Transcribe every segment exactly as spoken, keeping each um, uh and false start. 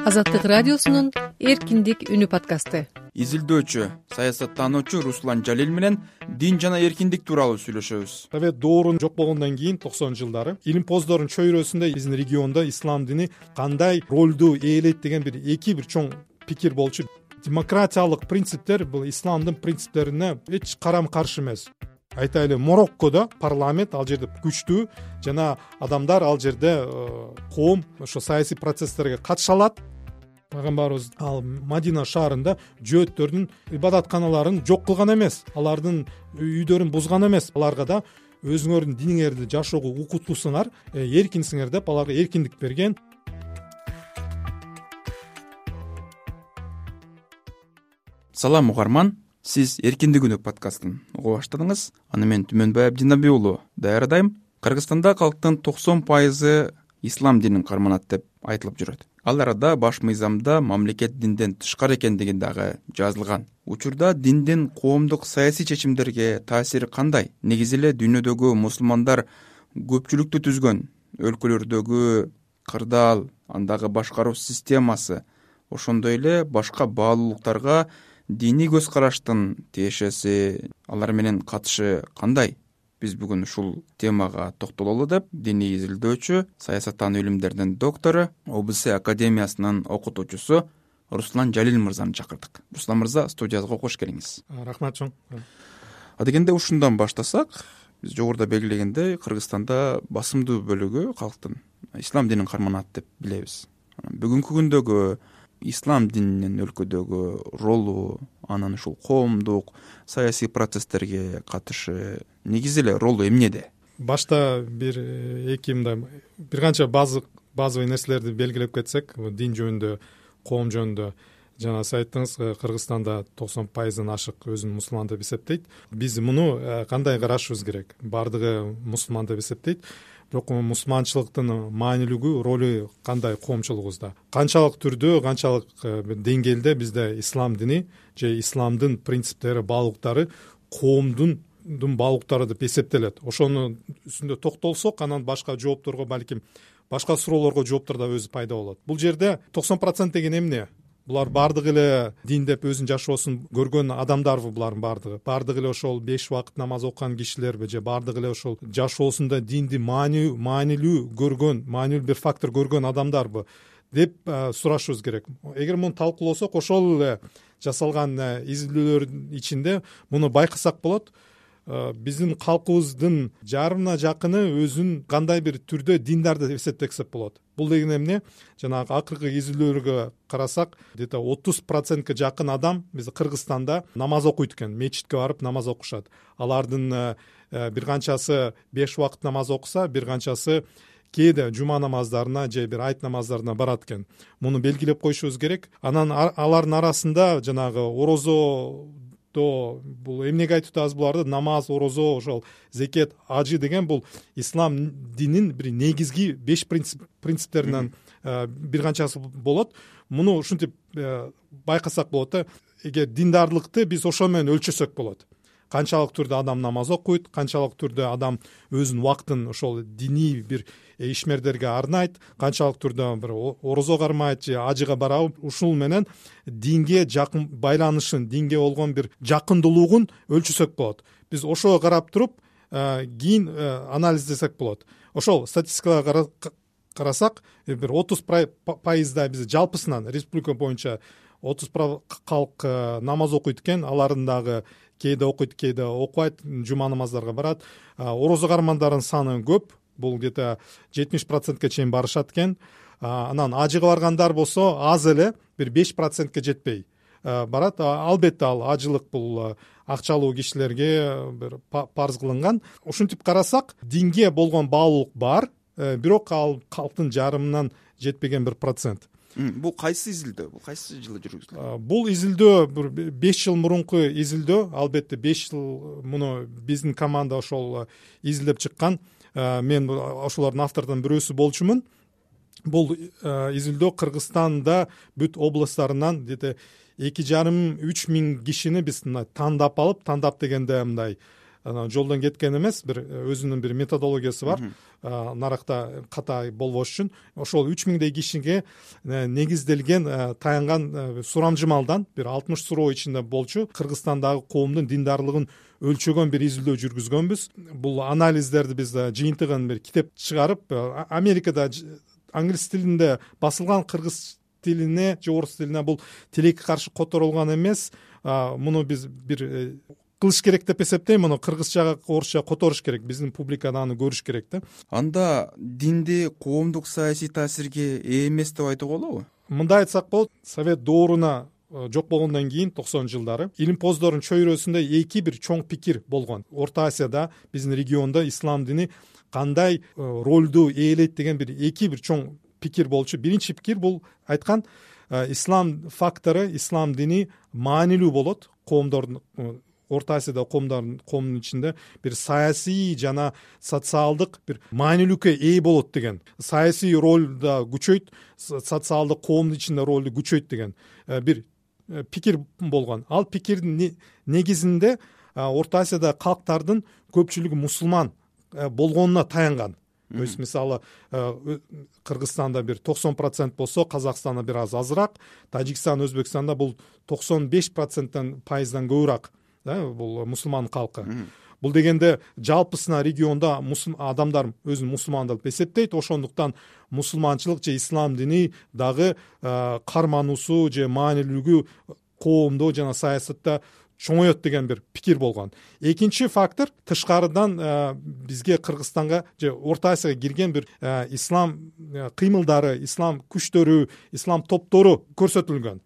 Азаттык радиосунун эркиндик үнү подкасты. Изилдөөчү, саясаттануучу Руслан Жалил менен дин жана эркиндик тууралуу сүйлөшөбүз. Совет доорун жок болгондон кийин токсонунчу жылдары илимпоздордун чөйрөсүндө биздин региондо ислам дини кандай ролду ээлейт деген бир эки бир чоң пикир болчу. Демократиялык принциптер бул исламдын принциптерине эч карама каршы эмес. Айтайлы, Мороккодо парламент ал жерде күчтүү жана адамдар ал жерде коом ошо саясий процесстерге катыша алат. Пайгамбарыбыз ал Мадина шаарында жөөттөрдүн ибадатканаларын жок кылган эмес, алардын үйдөрүн бузган эмес, аларга да өзүңөрдүн диниңерди жашоого укуктусуңар, эркинсиңер деп аларга эркиндик берген. Салам угарман, сиз эркиндик үнү подкастын уга баштадыңыз. Аны мен Түмөнбай Абдинабий уулу даярдайм. Кыргызстанда калктын токсон пайызы ислам динин карманат деп айтылып жүрөт. Ал арада баш мыйзамда мамлекет динден тышкары экендиги дагы жазылган. Учурда диндин коомдук саясий чечимдерге таасири кандай? Негизи эле дүйнөдөгү мусулмандар көпчүлүктү түзгөн өлкөлөрдөгү кырдаал, андагы башкаруу системасы, ошондой эле башка баалуулуктарга диний көз караштын тиешеси, алар менен катышы кандай? Биз бүгүн ушул темага токтололу деп диний изилдөөчү, саясаттануу илимдеринин доктору, ОБС академиясынын окутуучусу Руслан Жалил мырзаны чакырдык. Руслан мырза, студиябызга кош келиңиз. Рахмат чоң. Адегенде ушундан баштасак, биз жогоруда белгилегендей, Кыргызстанда басымдуу бөлүгү калктын ислам динин карманат деп билебиз. Бүгүнкү күндөгү ислам дининин өлкөдөгү ролу, анын ушул коомдук саясий процесстерге катышы, негизи эле ролу эмнеде? Башта бир эки мындай бир канча базы базовый нерселерди белгилеп кетсек, дин жөнүндө, коом жөнүндө. Жана сиз айттыңыз, Кыргызстанда токсон пайыздан ашык өзүн мусулман деп эсептейт. Биз муну кандай карашыбыз керек? Бардыгы мусулман деп эсептейт. Бирок мусулманчылыктын маанилүүлүгү, ролу кандай коомчулугубузда? Канчалык түрдө, канчалык деңгээлде бизде ислам дини же исламдын принциптери, баалуулуктары коомдун баалуулуктары деп эсептелет. Ошонун үстүндө токтолсок, анан башка жоопторго, балким башка суроолорго жооптор да өзү пайда болот. Бул жерде токсон процент деген эмне? Булар бардыгы эле дин деп өзүнүн жашоосун көргөн адамдарбы булардын бардыгы? Бардыгы эле ошол беш убакыт намаз окуган кишилерби же бардыгы эле ошол жашоосунда динди маанилүү маанилүү көргөн, маанилүү бир фактор көргөн адамдарбы деп сурашыбыз керек. Эгер муну талкууласак, ошол эле жасалган изилдөөлөрдүн ичинде муну байкасак болот. Биздин калкыбыздын жарымына жакыны өзүн кандай бир түрдө диндар деп эсептесек болот. Бул деген эмне? Жанагы акыркы изилдөөлөргө карасак, где-то отуз процентке жакын адам биз Кыргызстанда намаз окуйт экен, мечитке барып намаз окушат. Алардын бир канчасы беш убакыт намаз окуса, бир канчасы кээде жума намаздарына же бир айт намаздарына барат экен. Муну белгилеп коюшубуз керек. Анан алардын арасында жанагы орозо бул эмнеге айтып атабыз буларды? Намаз, орозо, ошол зекет, ажы деген бул ислам динин бир негизги беш принцип принциптеринен бир канчасы болот. Муну ушинтип байкасак болот да. Эгер диндарлыкты биз ошо менен өлчөсөк болот. Канчалык түрдө адам намаз окуйт, канчалык түрдө адам өзүнүн убактын ошол диний бир ишмердерге арнайт, канчалык түрдө бир орозо кармайт же ажыга барабы, ушул менен динге жакын байланышын, динге болгон бир жакындуулугун өлчөсөк болот. Биз ошого карап туруп, кийин анализдесек болот. Ошол статистикага карасак, бир отуз пайыздай биз жалпысынан республика боюнча отуз калк намаз окуйт экен, алардын дагы кээде окуйт, кээде окубайт, жума намаздарга барат. Орозо кармандардын саны көп. Бул где-то жетимиш процентке чейин барышат экен. Анан ажыга баргандар болсо аз эле, бир беш процентке жетпей барат. Албетте ал ажылык бул акчалуу кишилерге бир парз кылынган. Ушинтип карасак, динге болгон баалуулук бар, бирок ал калктын жарымынан жетпеген бир процент. Бул кайсы изилдөө? Бул кайсы жылы жүргүзүлгөн? Бул изилдөө бир беш жыл мурунку изилдөө. Албетте беш жыл муну биздин команда ошол изилдеп чыккан. Мен ошолордун автордордун бирөөсү болчумун. Бул изилдөө Кыргызстанда бүт областтарынан эки жарым үч миң кишини биз тандап алып, тандап дегенде мындай анан жолдон кеткен эмес, бир өзүнүн бир методологиясы бар. Наракта катай болбош үчүн ошол үч миңдей кишиге негизделген таянган сурамжымалдан бир алтымыш суроо ичинде болчу Кыргызстандагы коомдун диндарлыгын өлчөгөн бир изилдөө жүргүзгөнбүз. Бул анализдерди биз жыйынтыгын бир китеп чыгарып, Америкада англис тилинде басылган, кыргыз тилине же орус тилине бул тилекке каршы которулган эмес. Муну биз бир кылыш керек деп эсептейм. Муну кыргызчага, орусча которуш керек. Биздин публикада аны көрүш керек да. Анда динди коомдук саясий таасирге ээ эмес деп айтууга болобу? Мындай айтсак болот, Совет дооруна жок болгондон кийин токсонунчу жылдары илимпоздордун чөйрөсүндө эки бир чоң пикир болгон. Орто Азияда, биздин региондо ислам дини кандай ролду ээлейт деген бир эки бир чоң пикир болчу. Биринчи пикир бул айткан, ислам фактору, ислам дини маанилүү болот. Коомдордун, Орто Азияда коомдордун коомдун ичинде бир саясий жана социалдык бир маанилүүккө ээ болот деген. Саясий ролду күчөйт, социалдык коомдун ичинде ролду күчөйт деген бир пикир болгон. Ал пикирдин негизинде Орто Азияда калктардын көпчүлүгү мусулман болгонуна таянган. То есть мисалы Кыргызстанда бир токсон процент болсо, Казакстанда бир аз азыраак, Тажикстан, Өзбекстанда бул токсон беш проценттен пайыздан көбүрөөк, да, бул мусулман калкы. Бул дегенде жалпысына региондо адамдар өзүн мусулман деп эсептейт. Ошондуктан мусулманчылык же ислам дини дагы кармануусу же маанилүүлүгү коомдо жана саясатта чоңоет деген бир пикир болгон. Экинчи фактор, тышкарыдан бизге Кыргызстанга же Орто Азияга кирген бир ислам кыймылдары, ислам күчтөрү, ислам топтору көрсөтүлгөн.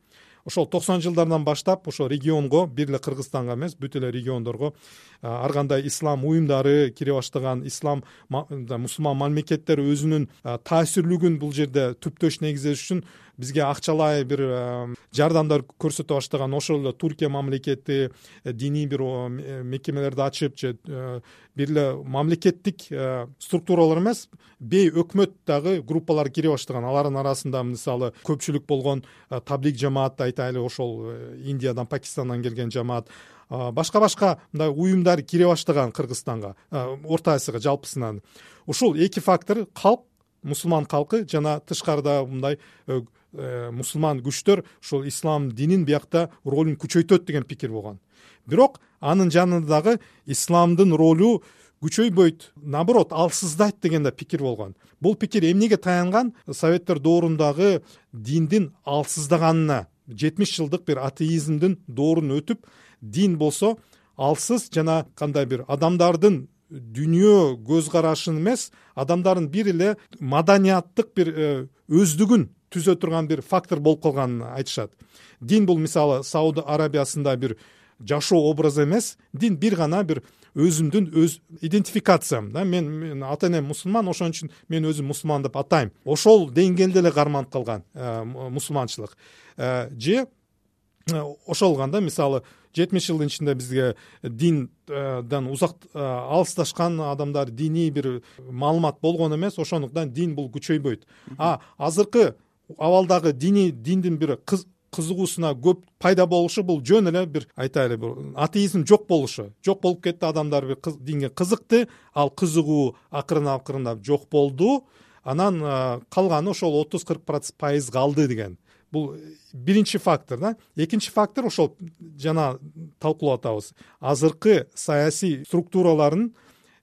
Ошол токсонунчу жылдардан баштап ошо регионго, бир эле Кыргызстанга эмес, бүт эле региондорго ар кандай ислам уюмдары кире баштаган, ислам мусулман мамлекеттер өзүнүн таасирлүүлүгүн бул жерде түптөш негиздеш үчүн бизге акчалай бир жардамдар көрсөтө баштаган. Ошол эле Туркия мамлекети диний бир мекемелерди ачып, же бир эле мамлекеттик структуралар эмес, бей өкмөт дагы группалар кире баштаган. Алардын арасында мисалы көпчүлүк болгон таблиг жамаат, айтайлы, ошол Индиядан, Пакистандан келген жамаат, башка-башка мындай уюмдар кире баштаган Кыргызстанга, Орто Азияга жалпысынан. Ушул эки фактор, калк, мусулман калкы жана тышкарыда мындай мусулман күчтөр ушул ислам динин биякта ролун күчөйтөт деген пикир болгон. Бирок анын жанында дагы исламдын ролу күчөйбөйт, наоборот, алсыздайт деген да пикир болгон. Бул пикир эмнеге таянган? Советтер доорундагы диндин алсыздаганына, жетимиш жылдык бир атеизмдин доорун өтүп, дин болсо алсыз жана кандай бир адамдардын дүйнө көз карашын эмес, адамдардын бир эле маданияттык бир өздүгүн түзө турган бир фактор болуп калганын айтышат. Дин бул мисалы Сауд Арабиясында бир жашоо образы эмес, дин бир гана бир өзүмдүн өз идентификациям, да, мен, мен ата энем мусулман, ошон үчүн мен өзүм мусулман деп атайм. Ошол деңгээлде эле карманып калган мусулманчылык. Же ошол канда мисалы жетимиш жылдын ичинде бизге динден узак алысташкан адамдар, диний бир маалымат болгон эмес, ошондуктан дин бул күчөйбөйт. А азыркы абалдагы дини диндин бир кызыгуусуна көп пайда болушу бул жөн эле бир айтайлы бир атеизм жок болушу. Жок болуп кетти, адамдар бир динге кызыкты, ал кызыгуу акырын акырындап жок болду. Анан калганы ошол отуз кырк пайыз калды деген. Бул биринчи фактор, да. Экинчи фактор ошол жана талкуулап атабыз. Азыркы саясий структуралардын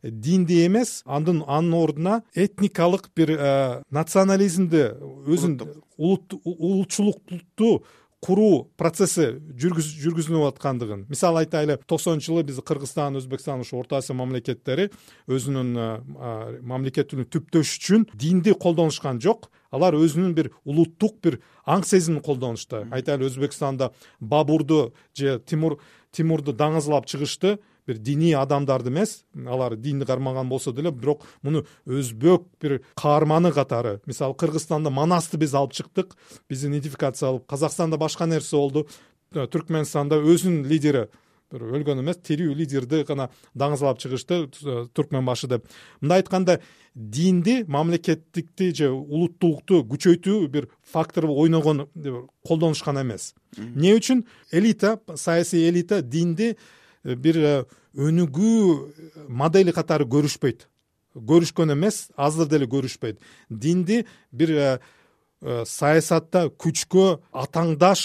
динди эмес, анын анын ордуна этникалык бир национализмди, өзүн улутчулукту куруу процесси жүргүзүлүп аткандыгын. Мисалы айтайлы, токсонунчу жылы биз Кыргызстан, Өзбекстан, ошо Орто Азия мамлекеттери өзүнүн мамлекетин түптөш үчүн динди колдонушкан жок. Алар өзүнүн бир улуттук бир аң сезимин колдонушту. Айтайлы, Өзбекстанда Бабурду же Тимур Тимурду даңызлап чыгышты. Бир диний адамдарды эмес, алар динди кармаган болсо деле, бирок муну өзбек бир каарманы катары. Мисалы, Кыргызстанда Манасты биз алып чыктык, биз идентификация алып. Казакстанда башка нерсе болду. Түркмөнстанда өзүнүн лидери, бир өлгөн эмес, тирүү лидерди гана даңызлап чыгышты, Түркмөнбашы деп. Мындай айтканда, динди, мамлекеттикти же улуттуулукту күчөйтүү бир фактор ойногон колдонушкан эмес. Эмне үчүн? Элита, саясий элита динди бир өнүгүү модели катары көрүшпөйт, көрүшкөн эмес, азыр деле көрүшпөйт. Динди бир саясатта күчкө атаңдаш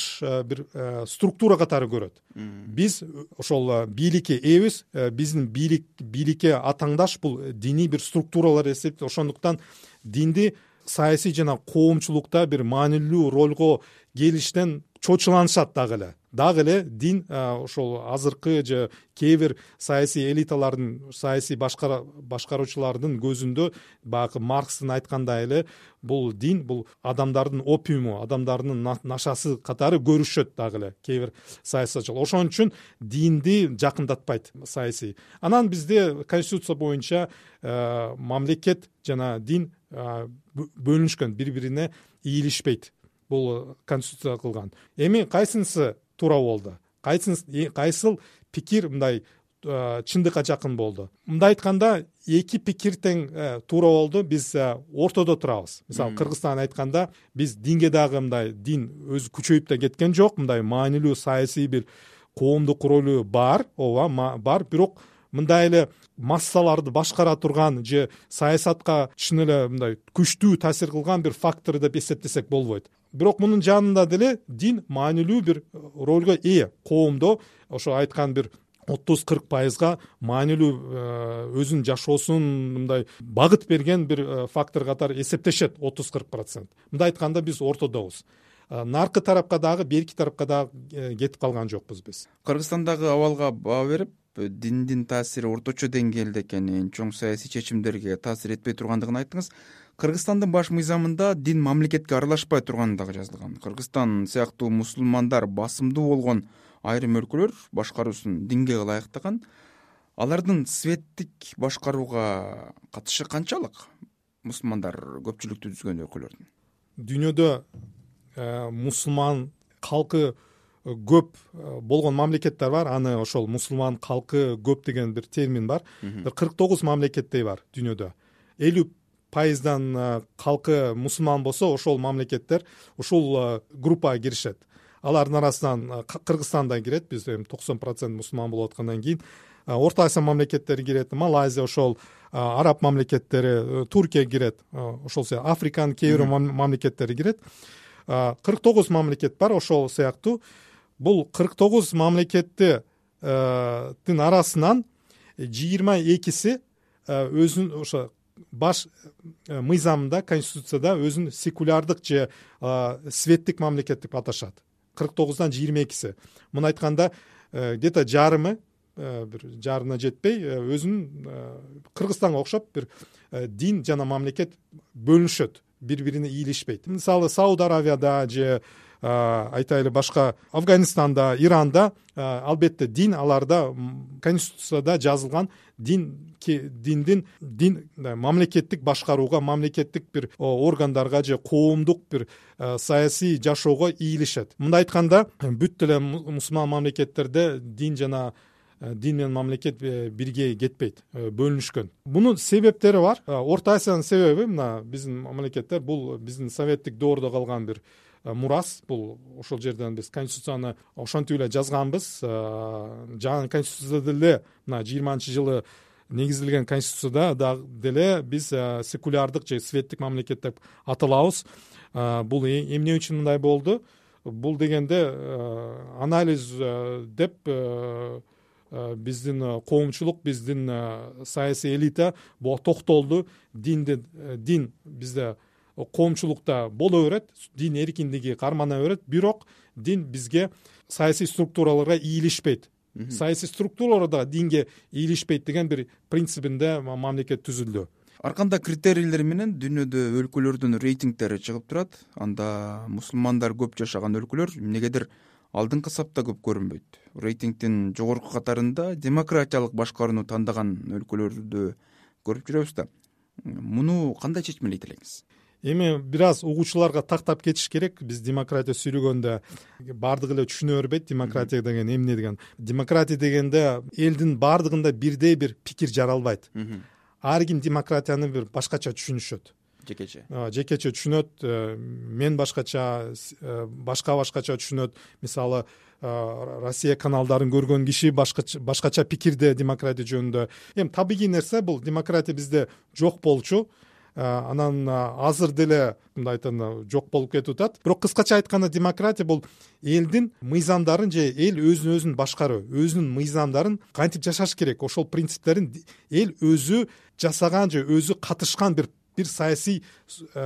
бир структура катары көрөт. Биз ошол бийликке ээбиз, биздин бийлик бийликке атаңдаш бул диний бир структуралар эсептейт. Ошондуктан динди саясий жана коомчулукта бир маанилүү ролго келиштен чочуланышат дагы эле. Дагы эле дин ошол азыркы же кээ бир саясий элиталардын, саясий башкара башкаруучулардын көзүндө баягы Маркстын айткандай эле бул дин бул адамдардын опиуму, адамдардын нашасы катары көрүшөт дагы эле кээ бир саясатчылар. Ошон үчүн динди жакындатпайт саясий. Анан бизде конституция боюнча мамлекет жана дин бөлүнүшкөн, бири-бирине ийилишпейт. Бул конституция кылган. Эми кайсынысы туура болду? Кайсынысы, кайсыл пикир мындай чындыкка жакын болду? Мындай айтканда, эки пикир тең туура болду. Биз ортодо турабыз. Мисалы, Кыргызстан айтканда, биз динге дагы мындай дин өзү күчөйүп да кеткен жок. Мындай маанилүү саясий бир коомдук ролу бар, ооба, бар, бирок мындай эле массаларды башкара турган же саясатка чын эле мындай күчтүү таасир кылган бир фактор деп эсептесек болбойт. Бирок мунун жанында деле дин маанилүү бир ролго ээ. Коомдо ошо айткан бир отуз кырк пайызга маанилүү өзүнүн жашоосун мындай багыт берген бир фактор катары эсептешет. отуз кырк процент. Мындай айтканда биз ортодобуз. Наркы тарапка дагы, берки тарапка дагы кетип калган жокпуз биз. Кыргызстандагы абалга баа берип, диндин таасири орточо деңгээлде экенин, чоң саясий чечимдерге таасир этпей тургандыгын айттыңыз. Кыргызстандын баш мыйзамында дин мамлекетке аралашпай турганы дагы жазылган. Кыргызстан сыяктуу мусулмандар басымдуу болгон айрым өлкөлөр башкаруусун динге ылайыктаган. Алардын светтик башкарууга катышы канчалык? Мусулмандар көпчүлүктү түзгөн өлкөлөрдүн. Дүйнөдө мусулман калкы көп болгон мамлекеттер бар. Аны ошол мусулман калкы көп деген бир термин бар. Бир кырк тогуз мамлекеттей бар дүйнөдө. элүү пайыздан калкы мусулман болсо, ошол мамлекеттер ушул группага киришет. Алардын арасынан Кыргызстан да кирет. Биз токсон процент мусулман болуп аткандан кийин Орто Азия мамлекеттери кирет, Малайзия, ошол араб мамлекеттери, Туркия кирет, ошол сыяктуу Африканын кээ бир мамлекеттери кирет. кырк тогуз мамлекет бар ошол сыяктуу. Бул кырк тогуз мамлекеттин арасынан жыйырма экиси өзүнүн ошо баш мыйзамында, конституцияда өзүн секулярдык же светтик мамлекет деп аташат. кырк тогуздан жыйырма экиси. Муну айтканда, где-то жарымы, бир жарына жетпей, өзүнүн Кыргызстанга окшоп бир дин жана мамлекет бөлүнүшөт, бири-бирине ийилишпейт. Мисалы, Сауд Аравияда же айтайлы башка Афганистанда, Иранда албетте дин аларда конституцияда жазылган дин диндин дин мамлекеттик башкарууга, мамлекеттик бир органдарга же коомдук бир саясий жашоого ийилишет. Мындай айтканда, бүт эле мусулман мамлекеттерде дин жана дин менен мамлекет бирге кетпейт, бөлүнүшкөн. Бунун себептери бар. Орто Азиянын себеби мына биздин мамлекеттер, бул биздин советтик доордо калган бир мурас. Бул ошол жерден биз конституцияны ошентип эле жазганбыз. Жаңы конституцияда деле мына жыйырманчы жылы негизилген конституцияда да деле биз секулярдык же светтик мамлекет деп аталабыз. Бул эмне үчүн мындай болду? Бул дегенде анализ деп биздин коомчулук, биздин саясий элита буга токтолду. Динди дин бизде коомчулукта боло берет, дин эркиндиги кармана берет, бирок дин бизге саясий структураларга ийилишпейт. Саясий структуралар да динге ийилишпейт деген бир принцибинде мамлекет түзүлдү. Ар кандай критерийлер менен дүйнөдө өлкөлөрдүн рейтингдери чыгып турат? Анда мусулмандар көп жашаган өлкөлөр эмнегедир алдыңкы сапта көп көрүнбөйт. Рейтингдин жогорку катарында демократиялык башкарууну тандаган өлкөлөрдү көрүп жүрөбүз да. Муну кандай чечмелейт элеңиз? Эми бир аз угуучуларга тактап кетиш керек. Биз демократия сүйлөгөндө бардыгы эле түшүнө бербейт демократия деген эмне деген. Демократия дегенде элдин бардыгында бирдей бир пикир жаралбайт. Ар ким демократияны бир башкача түшүнүшөт. жекече жекече түшүнөт, мен башкача, башка башкача түшүнөт. Мисалы Россия каналдарын көргөн киши башкача башкача пикирде демократия жөнүндө. Эми табигый нерсе бул, демократия бизде жок болчу, анан азыр деле мындай айтканда жок болуп кетип атат. Бирок кыскача айтканда демократия бул элдин мыйзамдарын же эл өзүн өзүн башкаруу, өзүнүн мыйзамдарын кантип жашаш керек, ошол принциптерин эл өзү жасаган же өзү катышкан бир бир саясий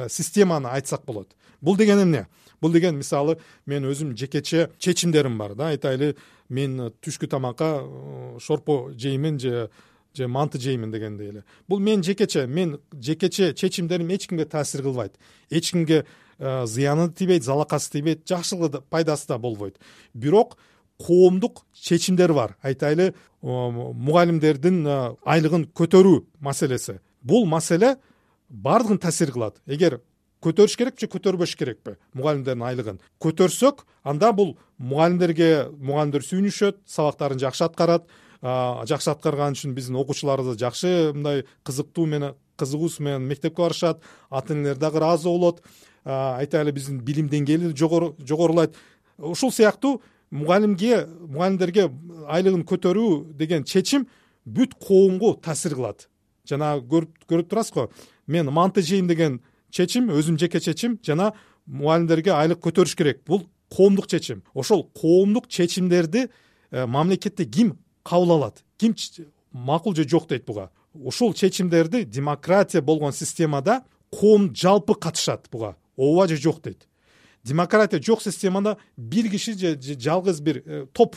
системаны айтсак болот. Бул деген эмне? Бул деген мисалы мен өзүм жекече чечимдерим бар да, айтайлы мен түшкү тамакка шорпо жеймин же же манты жеймин дегендей эле. Бул мен жекече, мен жекече чечимдерим эч кимге таасир кылбайт. Эч кимге зыяны тийбейт, залакасы тийбейт, жакшылыгы да, пайдасы да болбойт. Бирок коомдук чечимдер бар. Айтайлы мугалимдердин айлыгын көтөрүү маселеси. Бул маселе бардыгын таасир кылат. Эгер көтөрүш керекпи же көтөрбөш керекпи мугалимдердин айлыгын көтөрсөк, анда бул мугалимдерге мугалимдер сүйүнүшөт, сабактарын жакшы аткарат. Жакшы аткарган үчүн биздин окуучуларыбыз жакшы мындай кызыктуу менен кызыгуусу менен мектепке барышат, ата энелер дагы ыраазы болот. Айтайлы биздин билим деңгээли жогорулайт. Ушул сыяктуу мугалимге мугалимдерге айлыгын көтөрүү деген чечим бүт коомго таасир кылат. Жана көрүп көрүп турасыз го, мен манты жейм деген чечим өзүм жеке чечим, жана мугалимдерге айлык көтөрүш керек. Бул коомдук чечим. Ошол коомдук чечимдерди мамлекетте ким кабыл алат, ким макул же жок дейт буга. Ушул чечимдерди демократия болгон системада коом жалпы катышат буга, ооба же жок дейт. Демократия жок системада бир киши же жалгыз бир топ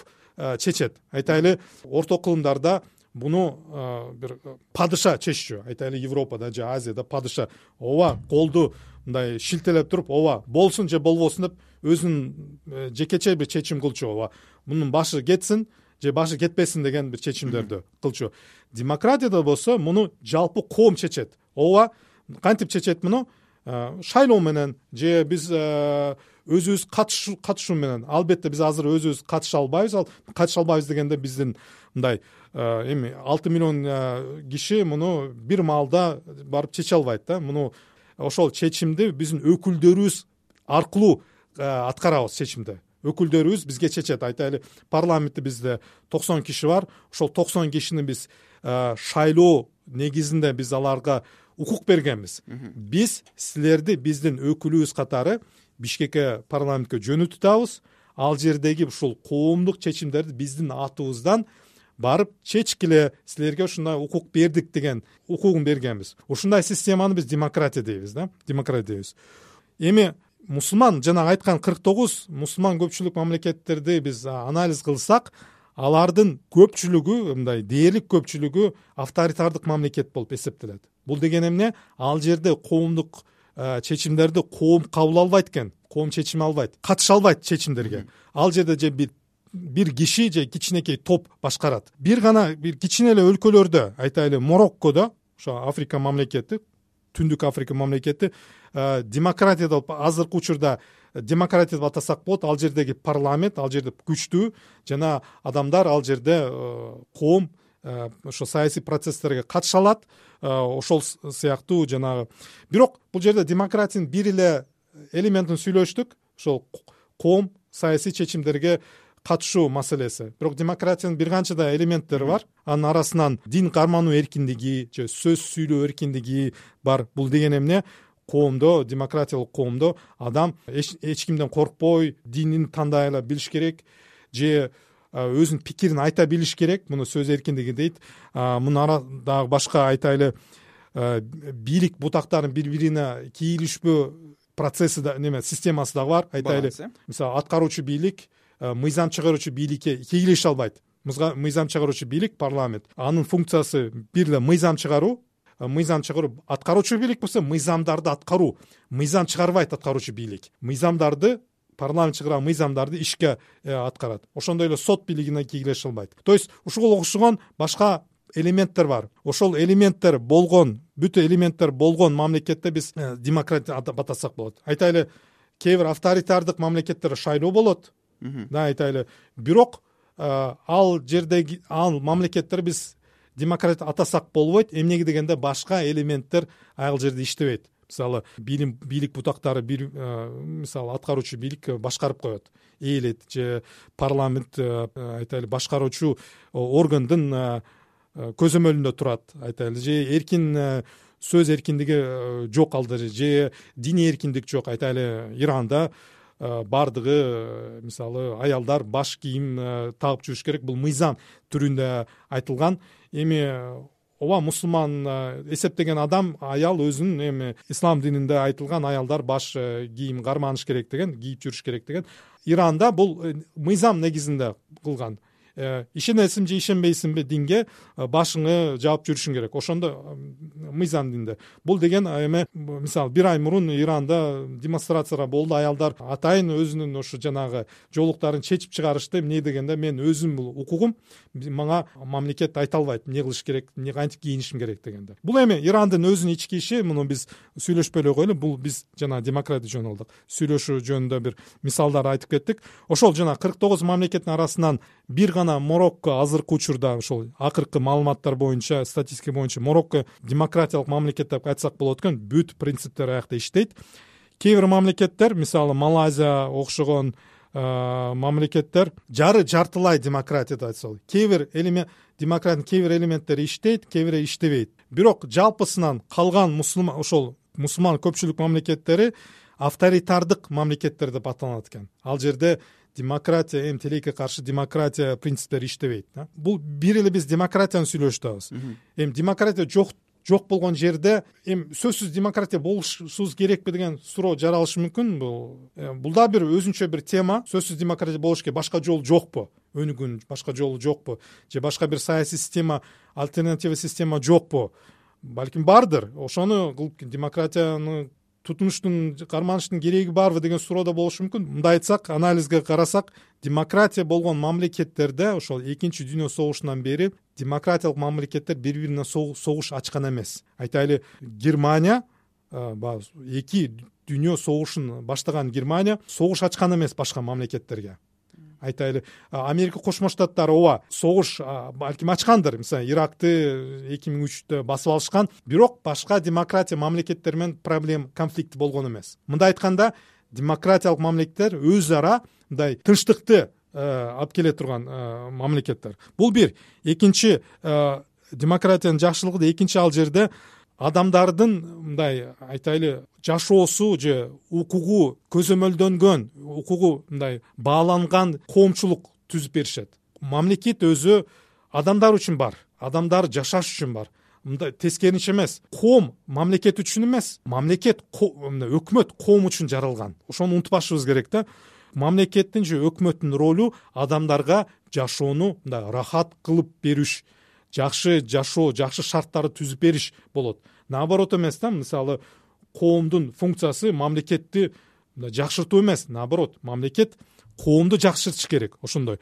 чечет. Айтайлы орто кылымдарда буну бир падыша чеччү. Айтайлы Европада же Азияда падыша ооба колду мындай шилтелеп туруп, ооба болсун же болбосун деп өзүнүн жекече бир чечим кылчу. Ооба мунун башы кетсин же башы кетпесин деген бир чечимдерди кылчу. Демократияда болсо муну жалпы коом чечет. Ооба кантип чечет муну? Шайлоо менен же биз өзүбүз катышуу менен. Албетте биз азыр өзүбүз катыша албайбыз. Ал катыша албайбыз дегенде биздин мындай эми алты миллион киши муну бир маалда барып чече албайт да. Муну ошол чечимди биздин өкүлдөрүбүз аркылуу аткарабыз чечимди. Өкүлдөрүбүз бизге чечет. Айтайлы парламентте бизде токсон киши бар. Ошол токсон кишини биз шайлоо негизинде биз аларга укук бергенбиз. Биз силерди биздин өкүлүбүз катары Бишкекке парламентке жөнөтүп, ал жердеги ушул коомдук чечимдерди биздин атыбыздан барып чечкиле, силерге ушундай укук бердик деген укугун бергенбиз. Ушундай системаны биз демократия дейбиз да, демократия дейбиз. Эми мусулман жана айткан кырк тогуз мусулман көпчүлүк мамлекеттерди биз анализ кылсак, алардын көпчүлүгү, мындай дээрлик көпчүлүгү авторитардык мамлекет болуп эсептелет. Бул деген эмне? Ал жерде коомдук чечимдерди коом кабыл албайт экен, коом чечим албайт, катыша албайт чечимдерге. Ал жерде же бир бир киши же кичинекей топ башкарат. Бир гана бир кичине эле өлкөлөрдө, айтайлы Мороккодо, ошо Африка мамлекети, Түндүк Африка мамлекети демократия деп азыркы учурда демократия деп атасак болот. Ал жердеги парламент, ал жерде күчтүү жана адамдар ал жерде коом ошо саясий процесстерге катыша алат. Ошол сыяктуу жанагы. Бирок бул жерде демократиянын бир эле элементин сүйлөштүк. Ошол коом саясий чечимдерге катышуу маселеси. Бирок демократиянын бир канча да элементтери бар. Анын арасынан дин кармануу эркиндиги же сөз сүйлөө эркиндиги бар. Бул деген эмне? Коомдо, демократиялык коомдо адам эч, эч кимден коркпой динин тандай эле билиш керек же өзүнүн пикирин айта билиш керек. Муну сөз эркиндиги дейт. Мунун арадагы башка айтайлы бийлик бутактарын бири-бирине кийлишпөө процесси да неме системасы дагы бар. Айтайлы мисалы аткаруучу бийлик мыйзам чыгаруучу бийликке кийлеше албайт. Мыйзам чыгаруучу бийлик парламент. Анын функциясы бир эле мыйзам чыгаруу. Мыйзам чыгаруу аткаруучу бийлик болсо мыйзамдарды аткаруу. Мыйзам чыгарбайт аткаруучу бийлик. Мыйзамдарды парламент чыгарган мыйзамдарды ишке аткарат. Ошондой эле сот бийлигине кийлеше албайт. То есть ушуга окшогон башка элементтер бар. Ошол элементтер болгон, бүт элементтер болгон мамлекетте биз демократия деп атасак болот. Айтайлы кээ бир авторитардык мамлекеттерде шайлоо болот. Да, айтайлы. Бирок ал жердеги ал мамлекеттер биз демократия атасак болбойт. Эмнеге дегенде башка элементтер ал жерде иштебейт. мисалы билим бийлик бутактары бир мисалы аткаруучу бийлик башкарып коет, ээлет же парламент айтайлы башкаруучу органдын көзөмөлүндө турат, айтайлы же эркин сөз эркиндиги жок алды же диний эркиндик жок. Айтайлы Иранда бардыгы мисалы аялдар баш кийим тагып жүрүш керек, бул мыйзам түрүндө айтылган. Эми ооба мусулман эсептеген адам аял өзүнүн эми ислам дининде айтылган аялдар баш кийим карманыш керек деген, кийип жүрүш керек деген. Иранда бул мыйзам негизинде кылган. Ишенесиң же ишенбейсиңби динге, башыңы жаап жүрүшүң керек, ошондо мыйзам динде. Бул деген эми мисалы бир ай мурун Иранда демонстрациялар болду, аялдар атайын өзүнүн ошо жанагы жоолуктарын чечип чыгарышты. Эмне дегенде мен өзүм бул укугум, мага мамлекет айта албайт эмне кылыш керек, эмне кантип кийинишим керек дегенде. Бул эми Ирандын өзүнүн ички иши, муну биз сүйлөшпөй эле коелу. Бул биз жана демократия жөнүндө алдык, сүйлөшүү жөнүндө бир мисалдар айтып кеттик. Ошол жана кырк тогуз мамлекеттин арасынан бир гана Марокко азыркы учурда, ошол акыркы маалыматтар боюнча, статистика боюнча Марокко демократиялык мамлекет деп айтсак болот экен. Бүт принциптер аякта иштейт. Кээ бир мамлекеттер, мисалы Малайзия окшогон мамлекеттер жары жартылай демократия деп айтсак болот. Кээ бир элемент демократиянын кээ бир элементтери иштейт, кээ бири иштебейт. Бирок жалпысынан калган мусулман ошол мусулман көпчүлүк мамлекеттери авторитардык мамлекеттер деп аталат экен. Ал жерде демократия, эми тилекке каршы демократия принциптери иштебейт. Бул бир эле биз демократияны сүйлөшөбүз. Эми демократия жок жок болгон жерде эми сөзсүз демократия болушубуз керекпи деген суроо жаралышы мүмкүн. Бул бул да бир өзүнчө бир тема. Сөзсүз демократия болуш керек, башка жол жокпу? Өнүгүүнүн башка жолу жокпу? Же башка бир саясий система, альтернатива система жокпу? Балким бардыр. Ошону кылып демократияны тутунуштун карманыштын кереги барбы деген суроо да болушу мүмкүн. Мындай айтсак, анализге карасак, демократия болгон мамлекеттерде ошол экинчи дүйнө согушунан бери демократиялык мамлекеттер бири-бирине согуш ачкан эмес. Айтайлы, Германия эки дүйнө согушун баштаган Германия согуш ачкан эмес башка мамлекеттерге. Айтайлы, Америка Кошмо Штаттары ооба согуш балким ачкандыр. Мисалы, Иракты эки миң үчтө басып алышкан, бирок башка демократия мамлекеттер менен проблем, конфликт болгон эмес. Мындай айтканда, демократиялык мамлекеттер өз ара мындай тынчтыкты алып келе турган мамлекеттер. Бул бир. Экинчи, демократиянын жакшылыгы да экинчи ал жерде адамдардын мындай айтайлы жашоосу же укугу көзөмөлдөнгөн, укугу мындай бааланган коомчулук түзүп беришет. Мамлекет өзү адамдар үчүн бар, адамдар жашаш үчүн бар. Мындай тескеринче эмес. Коом мамлекет үчүн эмес, мамлекет өкмөт коом үчүн жаралган. Ошону унутпашыбыз керек да. Мамлекеттин же өкмөттүн ролу адамдарга жашоону мындай рахат кылып бериш, жакшы жашоо, жакшы шарттарды түзүп бериш болот. Наоборот эмес да, мисалы коомдун функциясы мамлекетти жакшыртуу эмес, наоборот, мамлекет коомду жакшыртыш керек. Ошондой.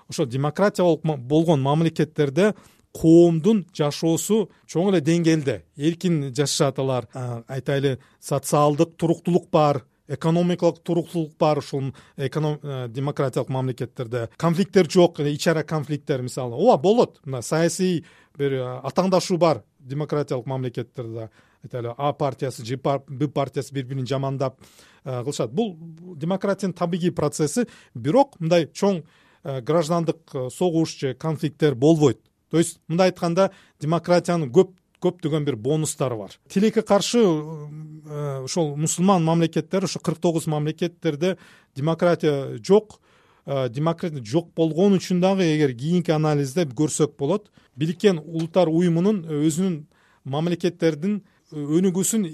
Ошо демократия болгон мамлекеттерде коомдун жашоосу чоң эле деңгээлде эркин жашашат алар. Айтайлы, социалдык туруктуулук бар, экономикалык туруктуулук бар ушул демократиялык мамлекеттерде. Конфликттер жок, ич ара конфликттер мисалы. Ооба болот. Мына саясий бир атаңдашуу бар демократиялык мамлекеттерде. Айтайлы, А партиясы же Б партиясы бири-бирин жамандап кылышат. Бул демократиянын табигый процесси, бирок мындай чоң граждандык согуш же конфликттер болбойт. То есть мындай айтканда, демократиянын көп көптөгөн бир бонустары бар. Тилекке каршы ошол мусулман мамлекеттер, ошо кырк тогуз мамлекеттерде демократия жок. Демократия жок болгон үчүн дагы эгер кийинки анализде көрсөк болот, Бириккен Улуттар уюмунун өзүнүн мамлекеттердин өнүгүүсүн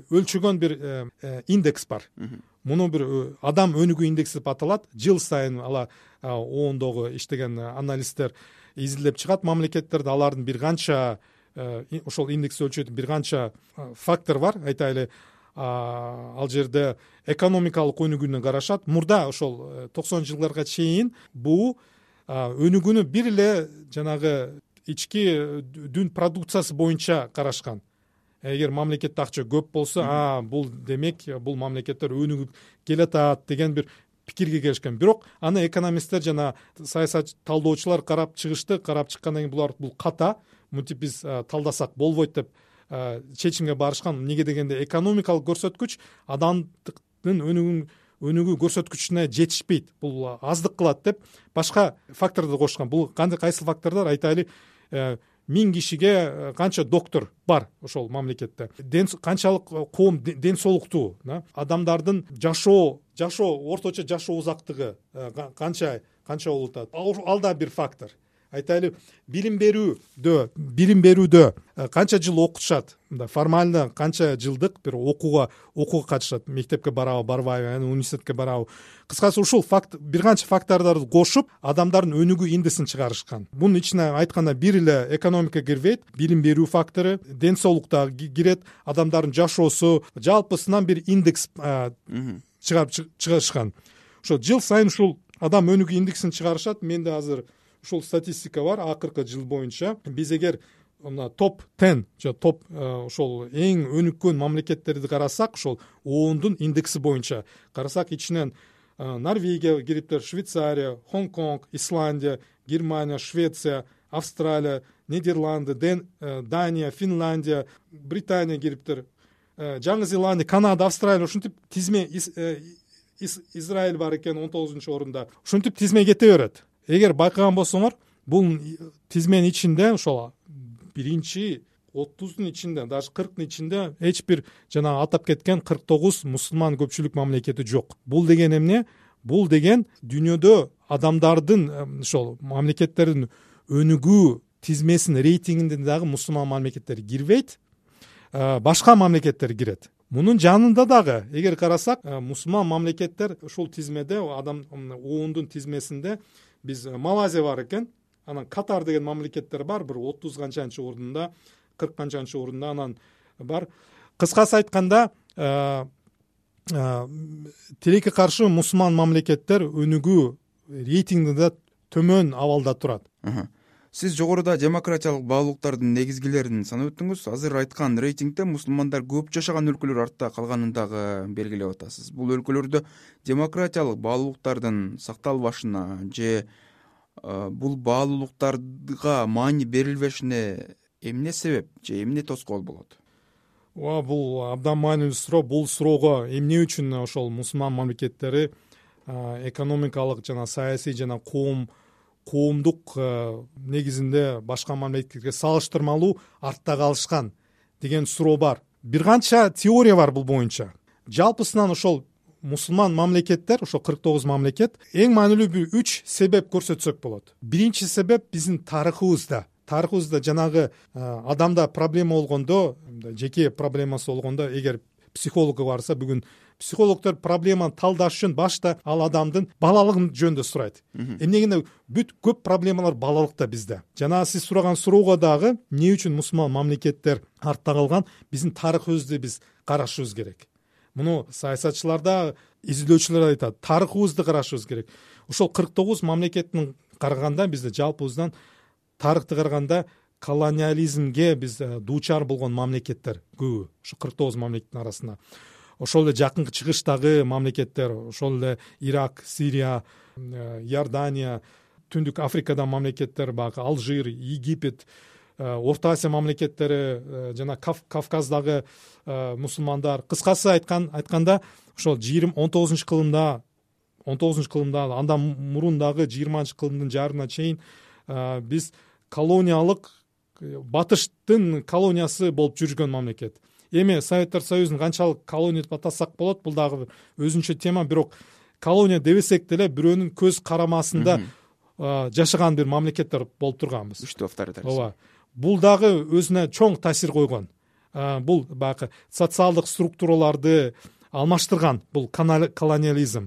өлчөгөн бир индекс бар. Муну бир адам өнүгүү индекси деп аталат. Жыл сайын ала оондогу иштеген аналисттер изилдеп чыгат мамлекеттерде. Алардын бир канча ошол индекс өлчөтүн бир канча фактор бар. Айтайлы, ал жерде экономикалык өнүгүүнү карашат. Мурда ошол токсонунчу жылдарга чейин бул өнүгүүнү бир эле жанагы ички дүн продукциясы боюнча карашкан. Эгер мамлекетте акча көп болсо, а бул демек бул мамлекеттер өнүгүп келатат деген бир пикирге келишкен. Бирок аны экономисттер жана саясат талдоочулар карап чыгышты. Карап чыккандан кийин булар бул ката, мынтип биз талдасак болбойт деп чечимге барышкан. Эмнеге дегенде экономикалык көрсөткүч адамдын өнүгүн өнүгүү көрсөткүчүнө жетишпейт, бул аздык кылат деп башка факторду кошкон. Бул кандай кайсы фактордор? Айтайлы, миң кишиге канча доктор бар ошол мамлекетте, канчалык коом ден соолуктуу, адамдардын жашоо жашоо орточо жашоо узактыгы канча канча болуп атат. Ал да бир фактор. Айтайлы, билим берүүдө билим берүүдө канча жыл окутушат, формально канча жылдык бир окууга окууга катышат, мектепке барабы барбайбы, анан университетке барабы. Кыскасы ушул факт бир канча фактордорду кошуп адамдардын өнүгүү индексин чыгарышкан. Бунун ичине айтканда бир эле экономика кирбейт, билим берүү фактору, ден соолук да кирет, адамдардын жашоосу, жалпысынан бир индекс чыгарып чыгарышкан. Ошо жыл сайын ушул адам өнүгүү индексин чыгарышат. Менде азыр ушул статистика бар, акыркы жыл боюнча. Биз эгер мына топ он же топ ошол эң өнүккөн мамлекеттерди карасак, ошол оондун индекси боюнча карасак, ичинен Норвегия кириптир, Швейцария, Хонконг, Исландия, Германия, Швеция, Австралия, Нидерланды, Дания, Финляндия, Британия кириптир, Жаңы Зеландия, Канада, Австралия, ушинтип тизме, Израиль бар экен он тогузунчу орунда. Ушинтип тизме кете берет. Эгер байкаган болсоңор, бул тизменин ичинде ошол биринчи отуздун ичинде, даже кырктын ичинде эч бир жана атап кеткен кырк тогуз мусулман көпчүлүк мамлекети жок. Бул деген эмне? Бул деген дүйнөдө адамдардын ошол мамлекеттердин өнүгүү тизмесинин рейтингинде дагы мусулман мамлекеттер кирбейт, башка мамлекеттер кирет. Мунун жанында дагы эгер карасак, мусулман мамлекеттер ушул тизмеде, адам оондун тизмесинде биз Малайзия бар экен, анан Катар деген мамлекеттер бар, бир отуз канчанчы орунда, кырк канчанчы орунда анан бар. Кыскасы айтканда, тилекке каршы мусулман мамлекеттер өнүгүү рейтингинде төмөн абалда турат. Сиз жогоруда демократиялык баалуулуктардын негизгилерин санап өттүңүз. Азыр айткан рейтингде мусулмандар көп жашаган өлкөлөр артта калганын дагы белгилеп атасыз. Бул өлкөлөрдө демократиялык баалуулуктардын сакталбашына же бул баалуулуктарга маани берилбешине эмне себеп же эмне тоскоол болот? Ооба, бул абдан маанилүү суроо. Бул суроого эмне үчүн ошол мусулман мамлекеттери экономикалык жана саясий жана коом коомдук негизинде башка мамлекеттерге салыштырмалуу артта калышкан деген суроо бар. Бир канча теория бар бул боюнча. Жалпысынан ошол мусулман мамлекеттер, ошол кырк тогуз мамлекет, эң маанилүү бир үч себеп көрсөтсөк болот. Биринчи себеп биздин тарыхыбызда. Тарыхыбызда жанагы адамда проблема болгондо, жеке проблемасы болгондо, эгер психологко барса, бүгүн психологдор проблеманы талдаш үчүн башта ал адамдын балалыгын жөнүндө сурайт. Эмнегенде бүт көп проблемалар балалыкта бизде. Жана сиз сураган суроого дагы эмне үчүн мусулман мамлекеттер артта калган, биздин тарыхыбызды биз карашыбыз керек. Муну саясатчыларда, изилдөөчүлөр айтат, тарыхыбызды карашыбыз керек. Ошол кырк тогуз мамлекеттин караганда бизде жалпыбыздан тарыхты караганда колониализмге биз дуучар болгон мамлекеттер көбү. Ошо кырк тогуз мамлекеттин арасында. Ошол эле жакынкы чыгыштагы мамлекеттер, ошол эле Ирак, Сирия, Иордания, Түндүк Африкада мамлекеттер, бак Алжир, Египет, Орто Азия мамлекеттери жана Кавказдагы мусулмандар. Кыскасы айткан айтканда, ошол он тогузунчу кылымда, он тогузунчу кылымда, андан мурун дагы жыйырманчы кылымдын жарына чейин биз колониялык, батыштын колониясы болуп жүргөн мамлекет. Эми Советтер Союзун канчалык колония деп атасак болот, бул дагы өзүнчө тема, бирок колония дебесек деле бирөөнүн көз карамасында жашаган бир мамлекеттер болуп турганбыз. Үчтү авторитаризм. Ооба. Бул дагы өзүнө чоң таасир койгон. Бул баягы социалдык структураларды алмаштырган, бул колониализм.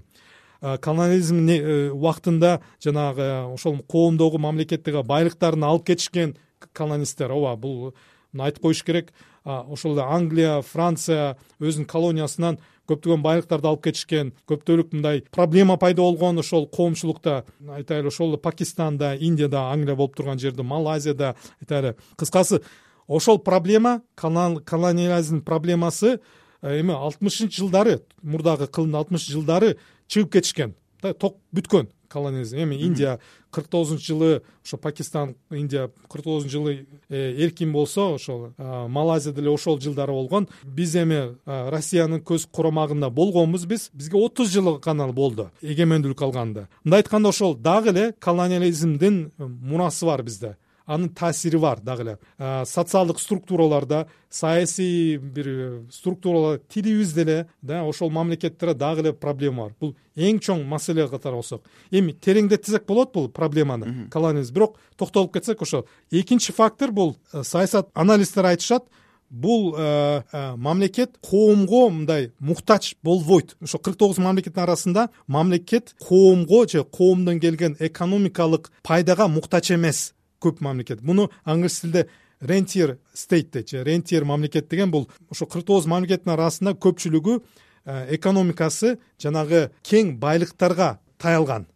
Колониализм убактында жанагы ошол коомдогу мамлекеттеги байлыктарын алып кетишкен колонисттер. Ооба, бул айтып коюш керек. Ошол эле Англия, Франция өзүнүн колониясынан көптөгөн байлыктарды алып кетишкен, көптөлүк мындай проблема пайда болгон ошол коомчулукта. Айтайлы, ошол Пакистанда, Индияда, Англия болуп турган жерде, Малайзияда, айтайлы. Кыскасы, ошол проблема, колониализм проблемасы эми алтымышынчы жылдары, мурдагы кылымдын алтымышынчы жылдары чыгып кетишкен. Ток бүткөн. колониализм. Эми Индия кырк тогузунчу жылы ошо Пакистан, Индия кырк тогузунчу жылы эркин болсо, ошол Малайзия деле ошол жылдары болгон. Биз эми Россиянын көз коромагында болгонбуз. Биз бизге отуз жыл гана болду эгемендүүлүк алганда. Мындай айтканда ошол дагы эле колониализмдин мурасы бар бизде. Анын таасири бар дагы эле. Социалдык структураларда, саясий бир структуралар, тилибиз деле да ошол мамлекеттерде дагы эле проблема бар. Бул эң чоң маселе катары болсок. Эми тереңдетсек болот бул проблеманы, колониализм. Бирок токтолуп кетсек, ошол экинчи фактор бул саясат аналисттер айтышат. Бул э, э, мамлекет коомго мындай муктач болбойт. Ошо кырк тогуз мамлекеттин арасында мамлекет коомго же коомдон келген экономикалык пайдага муктач эмес көп мамлекет. Муну англис тилинде rentier state дейт, же rentier мамлекет деген бул ошо кырк тогуз мамлекеттин арасында көпчүлүгү э, экономикасы жанагы кең байлыктарга таялган.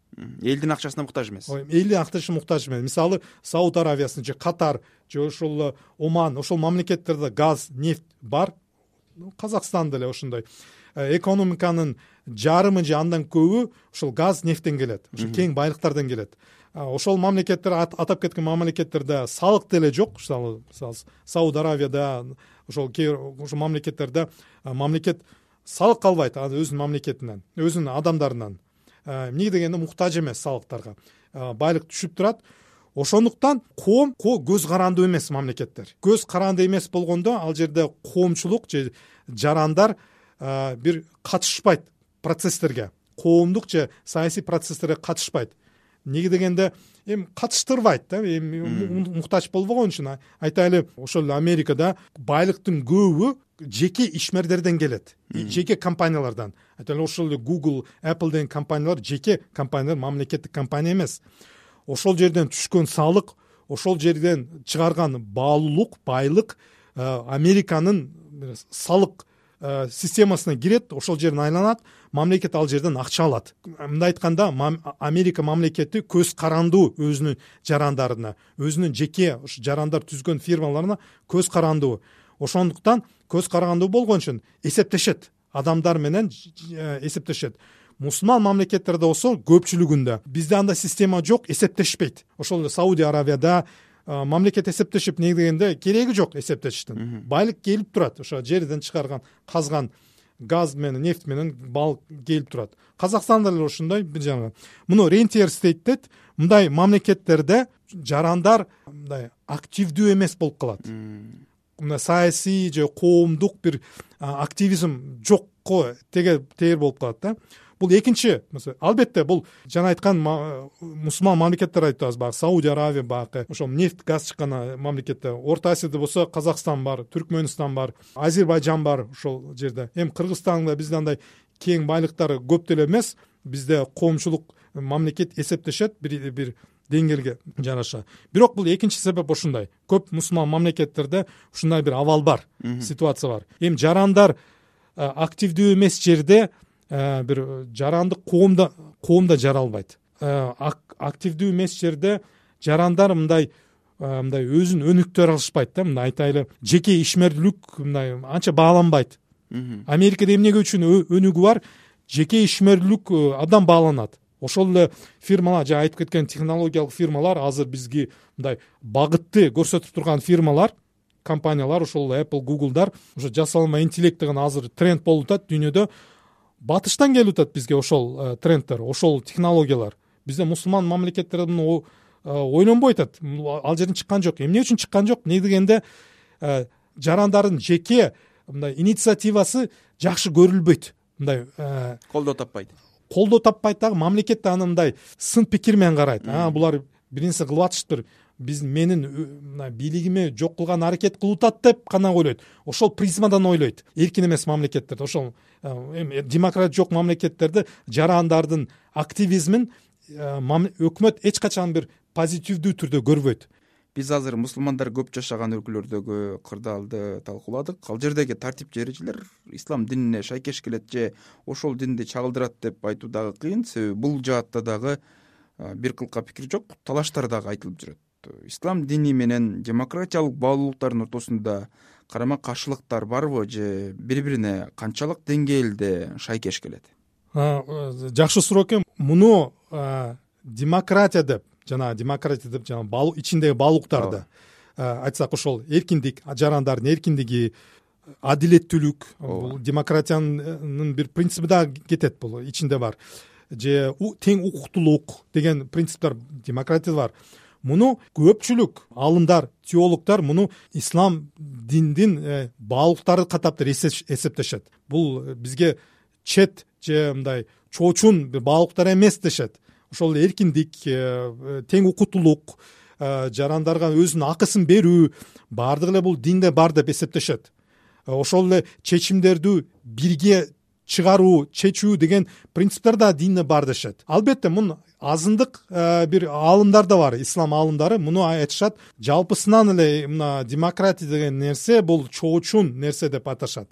Элдин акчасына муктаж эмес. Элдин акчасына муктаж эмес. Мисалы, Сауд Аравиясын же Катар же ошол Оман, ошол мамлекеттерде газ, нефть бар. Казакстан деле ошондой. Экономиканын жарымы же андан көбү ошол газ, нефттен келет. Ошо кең байлыктардан келет. Ошол мамлекеттер, атап кеткен мамлекеттерде салык деле жок. Мисалы, Сауд Аравияда, ошол ошол мамлекеттерде мамлекет салык албайт өзүнүн мамлекетинен, өзүнүн адамдарынан. Эмне дегенде муктаж эмес салыктарга. Байлык түшүп турат. Ошондуктан коом көз карандуу эмес мамлекеттер. Көз карандуу эмес болгондо ал жерде коомчулук же жарандар бир катышпайт процесстерге. Коомдук же саясий процесстерге катышпайт. Эмне дегенде эми катыштырбайт да, эми муктач болбогон үчүн. Айтайлы, ошол Америкада байлыктын көбү жеке ишмердерден келет, жеке компаниялардан. Айтайлы, ошол Google, Apple деген компаниялар жеке компаниялар, мамлекеттик компания эмес. Ошол жерден түшкөн салык, ошол жерден чыгарган баалуулук, байлык Американын салык системасына кирет, ошол жерден айланат, мамлекет ал жерден акча алат. Мындай айтканда, Америка мамлекети көз карандуу өзүнүн жарандарына, өзүнүн жеке жарандар түзгөн фирмаларына көз карандуу. Ошондуктан көз карандуу болгон үчүн эсептешет, адамдар менен эсептешет. Мусулман мамлекеттерде болсо көпчүлүгүндө бизде андай система жок, эсептешпейт. Ошол Сауди Аравияда мамлекет эсептешип, эмне дегенде кереги жок эсептешиштин. Байлык келип турат, ошо жерден чыгарган, казган газ менен, нефть менен балык келип турат. Казакстанда деле ошондой бир жана. Муну rentier state дейт. Мындай мамлекеттерде жарандар мындай активдүү эмес болуп калат. Мына саясий же коомдук бир активизм жокко теге тээр болуп калат да. Бул экинчи, албетте бул жана айткан мусулман мамлекеттер айтабыз, баягы Сауди Аравия, баягы ошол нефть, газ чыккан мамлекеттер. Орто Азияда болсо Казакстан бар, Түркмөнстан бар, Азербайжан бар ошол жерде. Эми Кыргызстанда бизде андай кең байлыктары көп деле эмес. Бизде коомчулук мамлекет эсептешет бир бир деңгээлге жараша. Бирок бул экинчи себеп ошондой. Көп мусулман мамлекеттерде ушундай бир абал бар, ситуация бар. Эми жарандар активдүү эмес жерде бир жарандык коомда коомда жара албайт. Активдүү эмес жерде жарандар мындай мындай өзүн өнүктүрө алышпайт да. Мындай айтайлы, жеке ишмердүүлүк мындай анча бааланбайт. Америкада эмнеге үчүн өнүгүү бар? Жеке ишмердүүлүк адам бааланат. Ошол эле фирмалар, жана айтып кеткен технологиялык фирмалар, азыр бизге мындай багытты көрсөтүп турган фирмалар, компаниялар, ошол Apple, Google'дар, ошо жасалма интеллект деген азыр тренд болуп атат дүйнөдө. Батыштан келип атат бизге ошол трендтер, ошол технологиялар. Бизде мусулман мамлекеттерде муну ойлонбой атат. Ал жерден чыккан жок. Эмне үчүн чыккан жок? Эмне дегенде жарандардын жеке мындай инициативасы жакшы көрүлбөйт. Мындай колдоо таппайт. Колдоо таппайт дагы, мамлекет аны мындай сын пикир менен карайт. А, булар бир нерсе кылып атышыптыр. Биз менин мына бийлигиме жок кылган аракет кылып атат деп гана ойлойт. Ошол призмадан ойлойт. Эркин эмес мамлекеттерде, ошол эми демократ жок мамлекеттерде жарандардын активизмин өкмөт эч качан бир позитивдүү түрдө көрбөйт. Биз азыр мусулмандар көп жашаган өлкөлөрдөгү кырдаалды талкууладык. Ал жердеги тартип же эрежелер ислам динине шайкеш келет же ошол динди чагылдырат деп айтуу дагы кыйын. Себеби бул жаатта дагы бир кылка пикир жок, талаштар дагы айтылып жүрөт. Ислам дини менен демократиялык баалуулуктардын ортосунда карама каршылыктар барбы же бири-бирине канчалык деңгээлде шайкеш келет? Жакшы суроо экен. Муну демократия деп жана демократия деп жана ичиндеги баалуулуктарды айтсак, ошол эркиндик, жарандардын эркиндиги, адилеттүүлүк, бул демократиянын бир принциби да кетет, бул ичинде бар. Же тең укуктуулук деген принциптер демократияда бар. Муну көпчүлүк аалымдар, теологдор муну ислам диндин баалуулуктары катап эсептешет. Бул бизге чет же мындай чоочун бир баалуулуктар эмес дешет. Ошол эркиндик, тең укуктуулук, жарандарга өзүнүн акысын берүү, баардыгы эле бул динде бар деп эсептешет. Ошол эле чечимдерди бирге чыгаруу, чечүү деген принциптер да динде бар дешет. Албетте муну азындык бир аалымдар да бар, ислам аалымдары муну айтышат. Жалпысынан эле мына демократия деген нерсе бул чоочун нерсе деп аташат.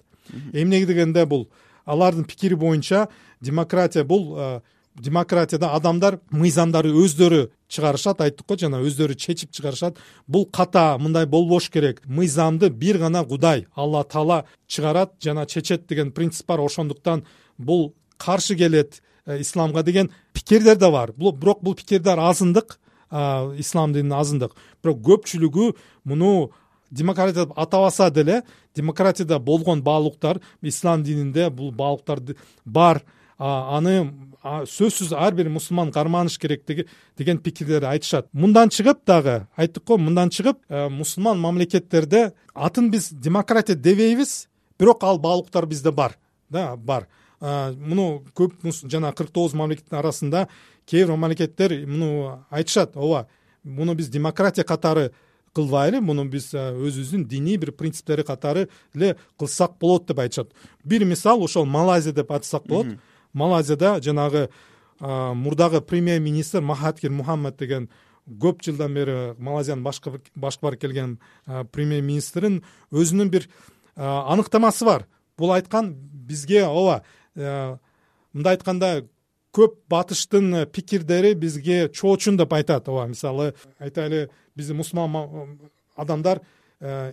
Эмне дегенде бул алардын пикири боюнча демократия бул демократияда адамдар мыйзамдарды өздөрү чыгарышат, айттык го, жана өздөрү чечип чыгарышат. Бул ката, мындай болбош керек. Мыйзамды бир гана Кудай, Алла Таала чыгарат жана чечет деген принцип бар. Ошондуктан бул каршы келет исламга деген пикирлер да бар. Бирок бул пикирлер азындык, ислам дининин азындык. Бирок көпчүлүгү муну демократия деп атабаса деле, демократияда болгон баалуулуктар, ислам дининде бул баалуулуктар бар. Аны сөзсүз ар бир мусулман карманыш керек деген пикирлерди айтышат. Мындан чыгып дагы айттык го, мындан чыгып мусулман мамлекеттерде атын биз демократия дебейбиз, бирок ал баалуулуктар бизде бар. Да, бар. Муну көп жана кырк тогуз мамлекеттин арасында кээ бир мамлекеттер муну айтышат. Ооба, муну биз демократия катары кылбайлы, муну биз өзүбүздүн диний бир принциптери катары эле кылсак болот деп айтышат. Бир мисал ошол Малайзия деп атсак болот. Малайзияда жанагы мурдагы премьер-министр Махатхир Мухаммад деген көп жылдан бери Малайзиянын башкарып келген премьер-министрин өзүнүн бир аныктамасы бар. Бул айткан бизге, ооба, мындай айтканда көп батыштын пикирдери бизге чоочун деп айтат. Ооба, мисалы айтайлы, биздин мусулман адамдар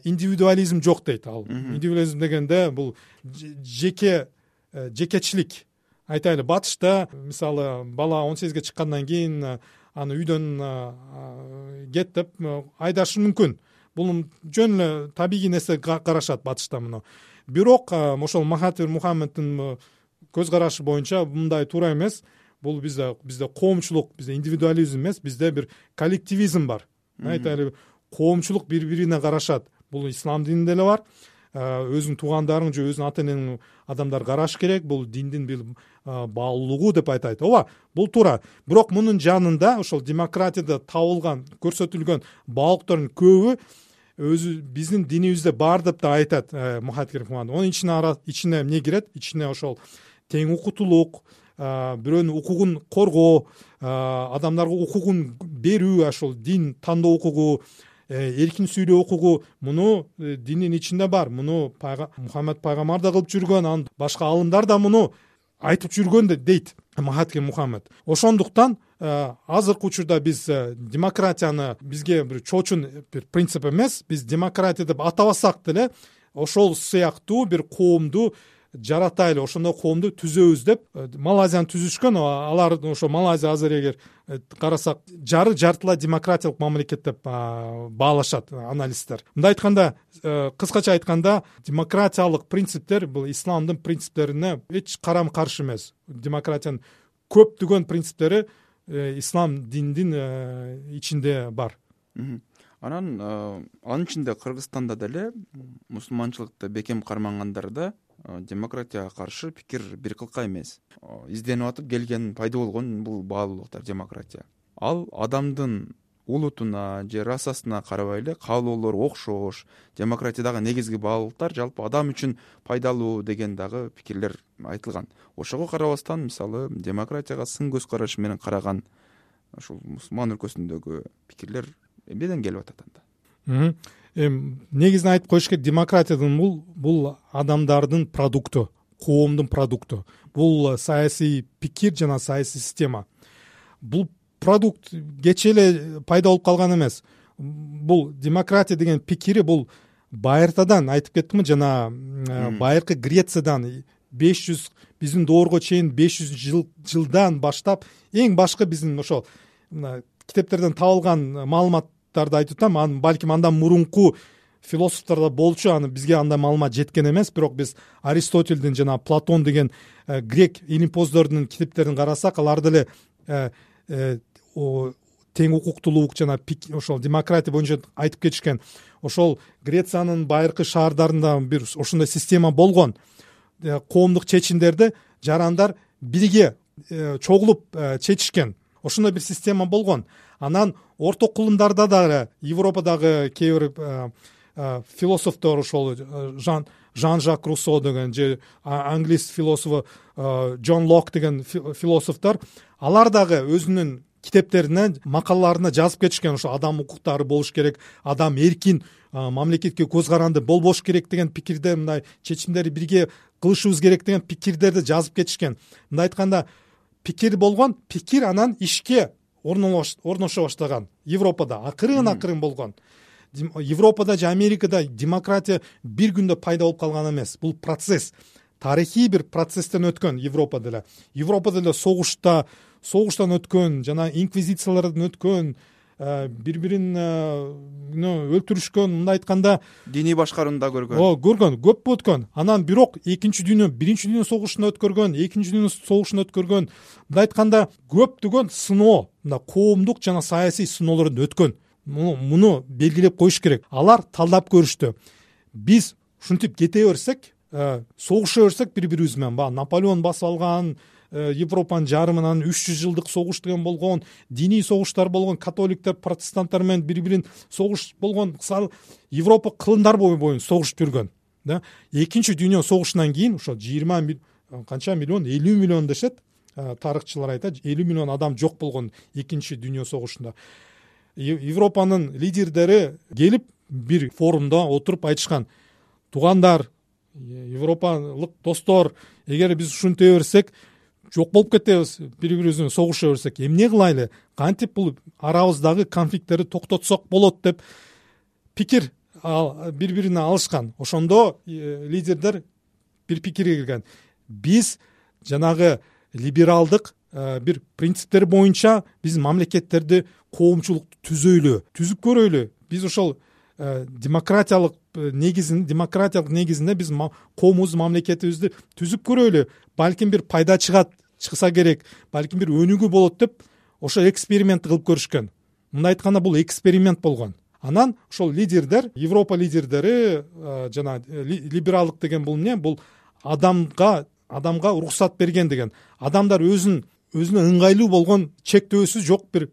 индивидуализм жок дейт. Ал индивидуализм дегенде бул жеке жекечилик. Айтайлы, батышта мисалы бала он сегизге чыккандан кийин аны үйдөн кет деп айдашы мүмкүн. Бул жөн эле табигый нерсе карашат батышта муну. Бирок ошол Махатхир Мухаммаддын көз карашы боюнча мындай туура эмес. Бул бизде бизде коомчулук, бизде индивидуализм эмес, бизде бир коллективизм бар. Айтайлы, коомчулук бири-бирине карашат. Бул ислам дининде эле бар. Өзүнүн туугандарың же өзүнүн ата энең адамдар караш керек. Бул диндин бир баалуулугу деп айтайт. Ооба, бул туура. Бирок мунун жанында ошол демократияда табылган, көрсөтүлгөн баалуулуктардын көбү өзү биздин динибизде бар деп да айтат Махатхир Мухаммад. Онун ичине ичине эмне кирет? Ичине ошол тең укуктуулук, бирөөнүн укугун коргоо, адамдарга укугун берүү, ошол дин тандоо укугу, эркин сүйлөө укугу, муну диндин ичинде бар. Муну Мухаммад пайгамбар да кылып жүргөн, анан башка алымдар да муну айтып жүргөн дейт Махатхир Мухаммад. Ошондуктан азыркы учурда биз демократияны бизге бир чоочун бир принцип эмес, биз демократия деп атабасак деле ошол сыяктуу бир коомду жаратайлы, ошондой коомду түзөбүз деп Малайзияны түзүшкөн. Алар ошо Малайзия азыр эгер карасак жары жартылай демократиялык мамлекет деп баалашат аналисттер. Мындай айтканда, кыскача айтканда, демократиялык принциптер бул исламдын принциптерине эч карама каршы эмес. Демократиянын көптөгөн принциптери ислам диндин ичинде бар. Анан анын ичинде Кыргызстанда деле мусулманчылыкты бекем кармагандар да демократияга каршы пикир бир кылка эмес. Изденип атып келген, пайда болгон бул баалуулуктар демократия. Ал адамдын улутуна же расасына карабай эле каалоолору окшош. Демократиядагы негизги баалуулуктар жалпы адам үчүн пайдалуу деген дагы пикирлер айтылган. Ошого карабастан, мисалы, демократияга сын көз караш менен караган ушул мусулман өлкөсүндөгү пикирлер эмнеден келип атат анда? Негизинен айтып коюш керек, демократиядын бул бул адамдардын продукту, коомдун продукту. Бул саясий пикир жана саясий система. Бул продукт кечээ эле пайда болуп калган эмес. Бул демократия деген пикири бул байыртадан айтып кеттимби, жана байыркы Грециядан беш жүз биздин доорго чейин беш жүз жыл жылдан баштап эң башкы биздин ошол мына китептерден табылган маалыматтарды айтып атам, анан балким андан мурунку философтор да болчу, аны бизге андай маалымат жеткен эмес. Бирок биз Аристотельдин жана Платон деген грек илимпоздордун китептерин карасак, алар деле тең укуктуулук жана ошол демократия боюнча айтып кетишкен. Ошол Грециянын байыркы шаардарында бир ошондой система болгон. Коомдук чечимдерди жарандар бирге чогулуп чечишкен. Ошондой бир система болгон. Анан орто кылымдарда дагы Европадагы кээ бир философтор, ошол Жан Жан-Жак Руссо деген же англис философу Джон Лок деген философтор, алар дагы өзүнүн китептерине, макалаларына жазып кетишкен. Ошо адам укуктары болуш керек, адам эркин мамлекетке көз каранды болбош керек деген пикирде, мындай чечимдерди бирге кылышыбыз керек деген пикирлерди жазып кетишкен. Мындай айтканда, пикир болгон, пикир анан ишке орношо баштаган. Европада акырын акырын болгон. Европада же Америкада демократия бир күндө пайда болуп калган эмес. Бул процесс, тарыхый бир процесстен өткөн. Европада эле Европада эле согушта согуштан өткөн, жана инквизициялардан өткөн, бири-бирин өлтүрүшкөн, мындай айтканда диний башкарууну да көргөн. О, көргөн, көп өткөн. Анан бирок экинчи дүйнө, биринчи дүйнө согушун өткөргөн, экинчи дүйнө согушун өткөргөн, мындай айтканда көптөгөн сыноо, мына коомдук жана саясий сыноолордон өткөн. Муну белгилеп коюш керек. Алар талдап көрүштү. Биз ушинтип кете берсек, согуша берсек бири-бирибиз менен, баягы Наполеон басып алган Европанын жарымынан үч жүз жылдык согуш деген болгон, диний согуштар болгон, католиктер, протестанттар менен бири-бирин согуш болгон. Европа кылымдар бою боюнча согушуп жүргөн. Да, экинчи дүйнө согушунан кийин ошо жыйырма канча миллион, элүү миллион дешет, тарыхчылар айтат, элүү миллион адам жок болгон экинчи дүйнө согушунда. Европанын лидерлери келип бир форумда отуруп айтышкан: тугандар, европалык достор, эгер биз ушинте берсек жок болуп кетебиз, бири-бирибиз менен согуша берсек, эмне кылайлы, кантип бул арабыздагы конфликттерди токтотсок болот деп пикир бири-бирине алышкан. Ошондо лидерлер бир пикирге келген: биз жанагы либералдык бир принциптер боюнча биз мамлекеттерди коомчулукту түзөйлү, түзүп көрөйлү. Биз ошол демократиялык негизин, демократиялык негизинде биз коомубуз, мамлекетибизди түзүп көрөйлү. Балким бир пайда чыгат, чыкса керек, балким бир өнүгүү болот деп ошо эксперимент кылып көрүшкөн. Мындай айтканда, бул эксперимент болгон. Анан ошол лидерлер, Европа лидерлери жана либералдык деген бул эмне? Бул адамга адамга уруксат берген деген. Адамдар өзүн өзүнө ыңгайлуу болгон чектөөсү жок бир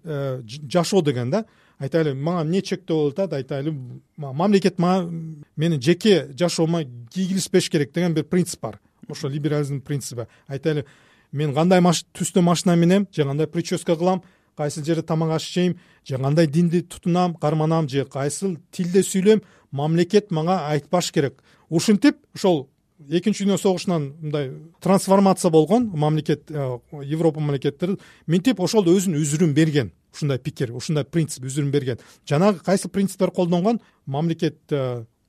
жашоо деген да. Айтайлы, мага эмне чектөө болуп атат? Айтайлы, мамлекет менин жеке жашоомо кийгилишпеш керек деген бир принцип бар. Ошо либерализм принципи. Айтайлы, мен кандай түстө машина минем, же кандай прическа кылам, кайсыл жерде тамак аш жейм, же кандай динди тутунам, карманам, же кайсыл тилде сүйлөйм, мамлекет мага айтпаш керек. Ушинтип ошол экинчи дүйнө согушунан мындай трансформация болгон мамлекет, Европа мамлекеттери минтип ошол өзүнүн үзүрүн берген. Ушундай пикир, ушундай принцип үзүрүн берген. Жанагы кайсы принциптер колдонгон? Мамлекет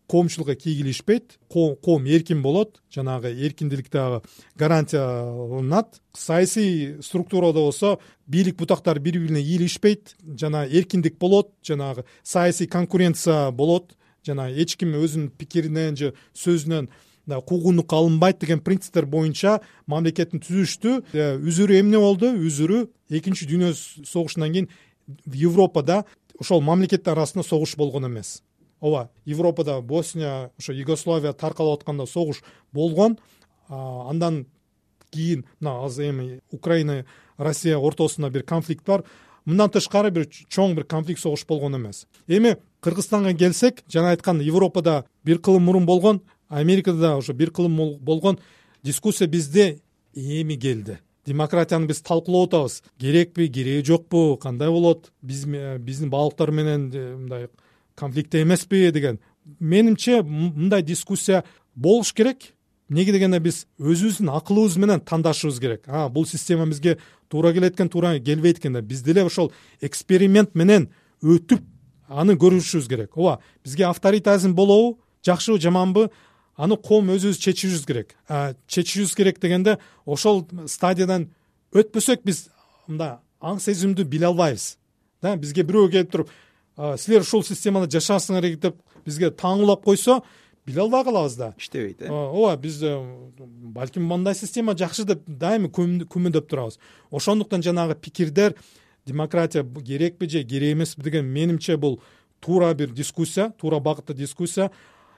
коомчулукка кийгилишпейт, коом эркин болот, жанагы эркиндилик дагы гарантияланат. Саясий структурада болсо бийлик бутактар бири-бирине ийилишпейт, жана эркиндик болот, жанагы саясий конкуренция болот, жана эч ким өзүнүн пикиринен же сөзүнөн куугунлукка алынбайт деген принциптер боюнча мамлекеттин түзүштү. Үзүрү эмне болду? Үзүрү экинчи дүйнө согушунан кийин Европада ошол мамлекеттер арасында согуш болгон эмес. Ооба, Европада Босния, ошо Югославия таркалып атканда согуш болгон. Андан кийин мына азыр эми Украина, Россия ортосунда бир конфликт бар. Мындан тышкары бир чоң бир конфликт, согуш болгон эмес. Эми Кыргызстанга келсек, жана айткан, Европада бир кылым мурун болгон, Америкада да ошо бир кылым болгон. Дискуссия бизде эми келди. Демократияны биз талкуулап атабыз. Керекпи, кереги жокпу, кандай болот? Биз биздин балыктар менен мындай конфликтте эмеспи деген. Менимче мындай дискуссия болуш керек. Неге дегенде биз өзүбүздүн акылыбыз менен тандашыбыз керек. А, бул система бизге туура келет экен, туура келбейт экен деп биз деле ошол эксперимент менен өтүп аны көрүшүбүз керек. Ооба, бизге авторитаризм болобу, жакшыбы, жаманбы, аны коом өзүбүз чечишибиз керек. Чечишибиз керек дегенде ошол стадиядан өтпөсөк, биз мындай аң сезимди биле албайбыз да. Бизге бирөө келип туруп силер ушул системада жашарсыңар деп бизге таңуулап койсо биле албай калабыз да, иштебейт. э ооба, биз балким мындай система жакшы деп дайыма күмөндөп турабыз. Ошондуктан жанагы пикирдер демократия керекпи же керек эмеспи деген менимче бул туура бир дискуссия, туура багытта дискуссия.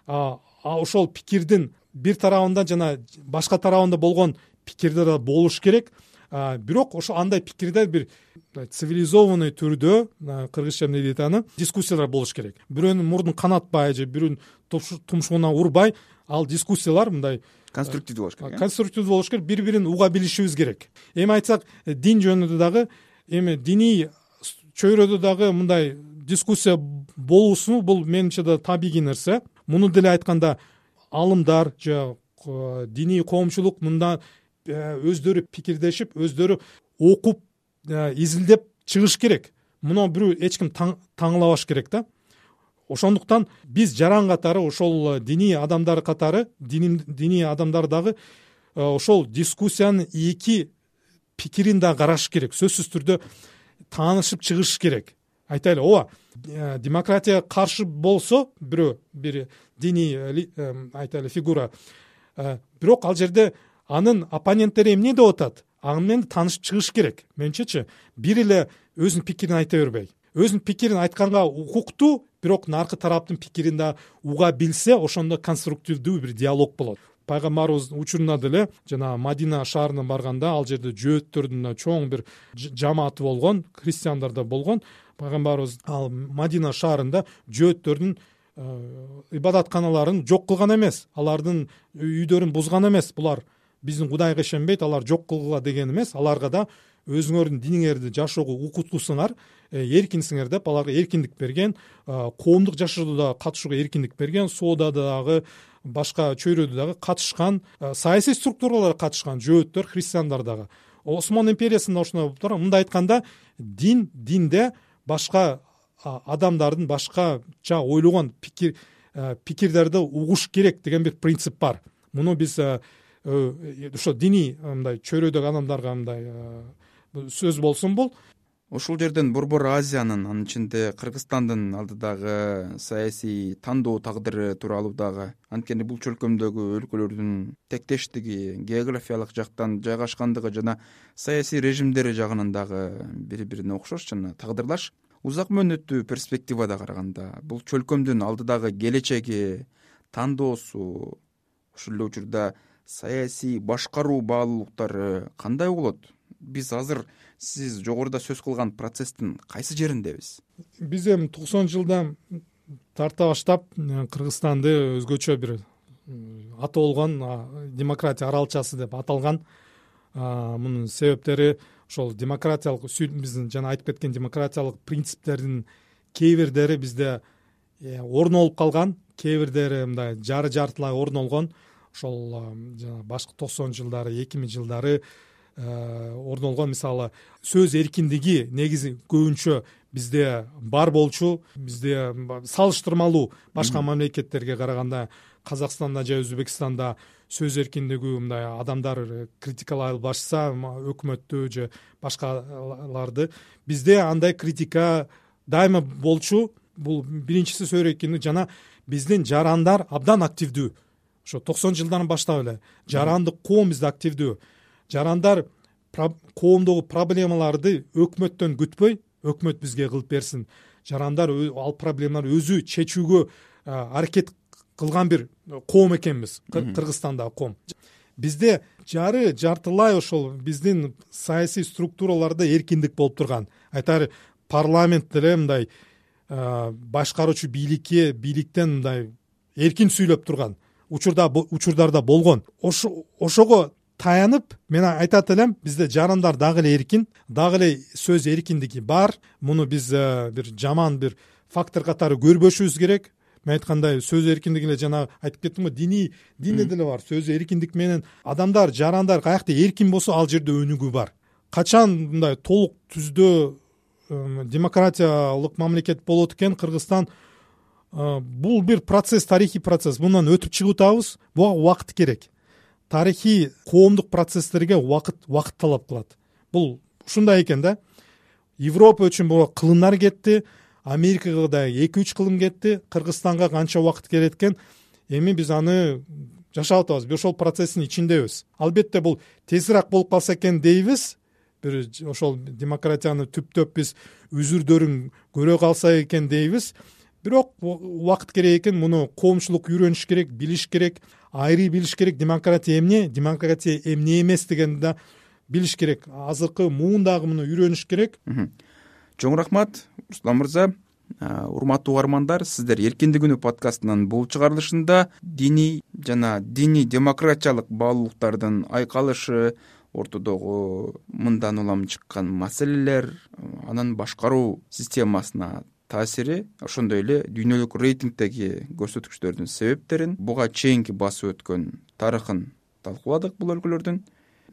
А ошол пикирдин бир тарабында жана башка тарабында болгон пикирдер да болуш керек. Бирок ошо андай пикирдер бир цивилизованный түрдө, кыргызча эмне дейт аны, дискуссиялар болуш керек. Бирөөнүн мурдун канатпай же бирөөнүн тумшугуна урбай, ал дискуссиялар мындай конструктивдүү болуш керек. Конструктивдүү болуш керек, бири-бирин уга билишибиз керек. Эми айтсак, дин жөнүндө дагы, эми диний чөйрөдө дагы мындай дискуссия болуусу бул менимче да табигый нерсе. Муну деле айтканда алымдар же диний коомчулук мында өздөрү пикирдешип, өздөрү окуп, изилдеп чыгыш керек. Муну бирөө эч ким таңлабаш керек да. Ошондуктан биз жаран катары, ошол диний адамдар катары, диний адамдар дагы ошол дискуссиянын эки пикирин да караш керек. Сөзсүз түрдө таанышып чыгыш керек. Айтайлы, ооба, демократия каршы болсо бирөө бир диний айтайлы фигура, бирок ал жерде анын оппоненттери эмне деп атат, аны менен таанышып чыгыш керек. Менчечи, бир эле өзүнүн пикирин айта бербей, өзүнүн пикирин айтканга укуктуу, бирок наркы тараптын пикирин да уга билсе, ошондо конструктивдүү бир диалог болот. Пайгамбарыбыз учурунда деле жана Мадина шаарына барганда, ал жерде жөөттөрдүн чоң бир жамааты болгон, христиандар да болгон. Пайгамбарыбыз ал Мадина шаарында жөөттөрдүн ибадатканаларын жок кылган эмес, алардын үйдөрүн бузган эмес. Булар биздин Кудайга ишенбейт, алар жок кылгыла деген эмес. Аларга да өзүңөрдүн диниңерди жашоого укуктусуңар, эркинсиңер деп аларга эркиндик берген, коомдук жашоодо да катышууга эркиндик берген, соодада дагы, башка чөйрөдө дагы катышкан, саясий структуралар катышкан жөөттөр, христиандар дагы. Осман империясында ошондой болуп турган. Мындай айтканда, дин динде башка адамдардын башкача ойлогон пикир пикирдерди угуш керек деген бир принцип бар. Муну биз ошо диний мындай чөйрөдөгү адамдарга мындай сөз болсун бул. Ушул жерден Борбор Азиянын, анын ичинде Кыргызстандын алдыдагы саясий тандоо тагдыры тууралуу дагы, анткени бул чөлкөмдөгү өлкөлөрдүн тектештиги, географиялык жактан жайгашкандыгы жана саясий режимдери жагынан дагы бири-бирине окшош жана тагдырлаш. Узак мөөнөттүү перспективада караганда бул чөлкөмдүн алдыдагы келечеги, тандоосу, ушул эле учурда саясий башкаруу баалуулуктары кандай болот? Биз азыр сиз жогоруда сөз кылган процесстин кайсы жериндебиз? Биз эми токсон жылдан тарта баштап Кыргызстанды өзгөчө бир аты болгон демократия аралчасы деп аталган. Мунун себептери ошол демократиялык биздин жана айтып кеткен демократиялык принциптердин кээ бирлери бизде орун алып калган, кээ бирлери мындай жары жартылай орун алган. Ошол жана башкы токсон жылдары, эки миң жылдары орун алган, мисалы, сөз эркиндиги негизи көбүнчө бизде бар болчу. Бизде салыштырмалуу башка мамлекеттерге караганда, Казакстанда же Өзбекстанда сөз эркиндиги мындай адамдар критикалай албашса, өкмөттү же башкаларды, бизде андай критика дайыма болчу. Бул биринчиси сөз эркиндиги жана биздин жарандар абдан активдүү. Ошо токсон жылдан баштап эле жарандык коом бизде активдүү. Жарандар коомдогу проблемаларды өкмөттөн күтпөй, өкмөт бизге кылып берсин. Жарандар ал проблемаларды өзү чечүүгө аракет кылган бир коом экенбиз, Кыргызстандагы коом. Бизде жары жартылай ошол биздин саясий структураларда эркиндик болуп турган. Айтары парламент деле мындай башкаруучу бийликке, бийликтен мындай эркин сүйлөп турган учурда учурдарда болгон. Ошого таянып мен айтат элем, бизде жарандар дагы эле эркин, дагы эле сөз эркиндиги бар. Муну биз бир жаман бир фактор катары көрбөшүбүз керек. Мен айткандай, сөз эркиндиги эле жана айтып кеттим го, диний динде деле бар. Сөз эркиндик менен адамдар, жарандар каякта эркин болсо, ал жерде өнүгүү бар. Качан мындай толук түздө демократиялык мамлекет болот экен Кыргызстан, бул бир процесс, тарыхый процесс. Мындан өтүп чыгып атабыз. Буга убакыт керек. Тарыхый коомдук процесстерге убакыт убакыт талап кылат. Бул ушундай экен да. Европа үчүн буга кылымдар кетти, Америкага да эки үч кылым кетти, Кыргызстанга канча убакыт керек экен. Эми биз аны жашап атабыз, биз ошол процесстин ичиндебиз. Албетте бул тезирээк болуп калса экен дейбиз. Бир ошол демократияны түптөп биз үзүрдөрүн көрө калса экен дейбиз. Бирок убакыт керек экен, муну коомчулук үйрөнүш керек, билиш керек, айрый билиш керек. Демократия эмне, демократия эмне эмес дегенди да билиш керек. Азыркы муундагы муну үйрөнүш керек. Чоң рахмат, Руслан мырза. Урматтуу угармандар, сиздер Эркиндик күнү подкастынын бул чыгарылышында диний жана диний демократиялык баалуулуктардын айкалышы, ортодогу мындан улам чыккан маселелер, анын башкаруу системасына таасири, ошондой эле дүйнөлүк рейтингдеги көрсөткүчтөрдүн себептерин, буга чейинки басып өткөн тарыхын талкууладык бул өлкөлөрдүн.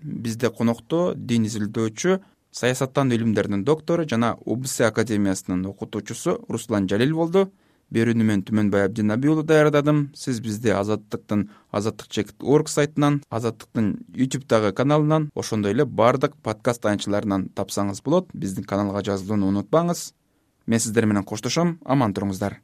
Бизде конокто дин изилдөөчү, саясаттануу илимдеринин доктору жана УБС академиясынын окутуучусу Руслан Жалил болду. Берүүнү мен Түмөнбай Абдинабий уулу даярдадым. Сиз бизди Азаттыктын азаттык чекит точка орг сайтынан, Азаттыктын ютубтагы каналынан, ошондой эле баардык подкаст таянычыларынан тапсаңыз болот. Биздин каналга жазылууну унутпаңыз. Мен сиздер менен коштошом. Аман туруңуздар.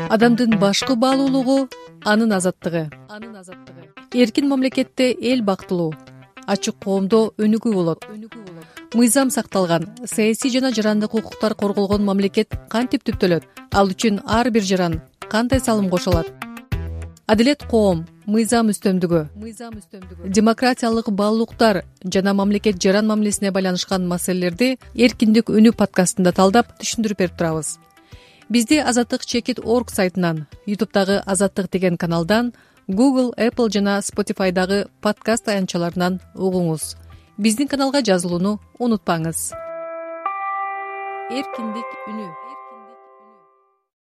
Адамдын башкы баалуулугу анын азаттыгы. Анын азаттыгы. Эркин мамлекетте эл бактылуу, ачык коомдо өнүгүү болот. Мыйзам сакталган, саясий жана жарандык укуктар корголгон мамлекет кантип түптөлөт? Ал үчүн ар бир жаран кандай салым кошулат? Адилет коом, мыйзам үстөмдүгү, мыйзам үстөмдүгү, демократиялык баалуулуктар жана мамлекет жаран мамилесине байланышкан маселелерди Эркиндик үнү подкастында талдап түшүндүрүп берип турабыз. Бизди азаттык чекит точка орг сайтынан, ютубтагы Азаттык деген каналдан, Google, Apple жана Spotify'дагы подкаст таянчаларынан угуңуз. Биздин каналга жазылууну унутпаңыз. Эркиндик үнү.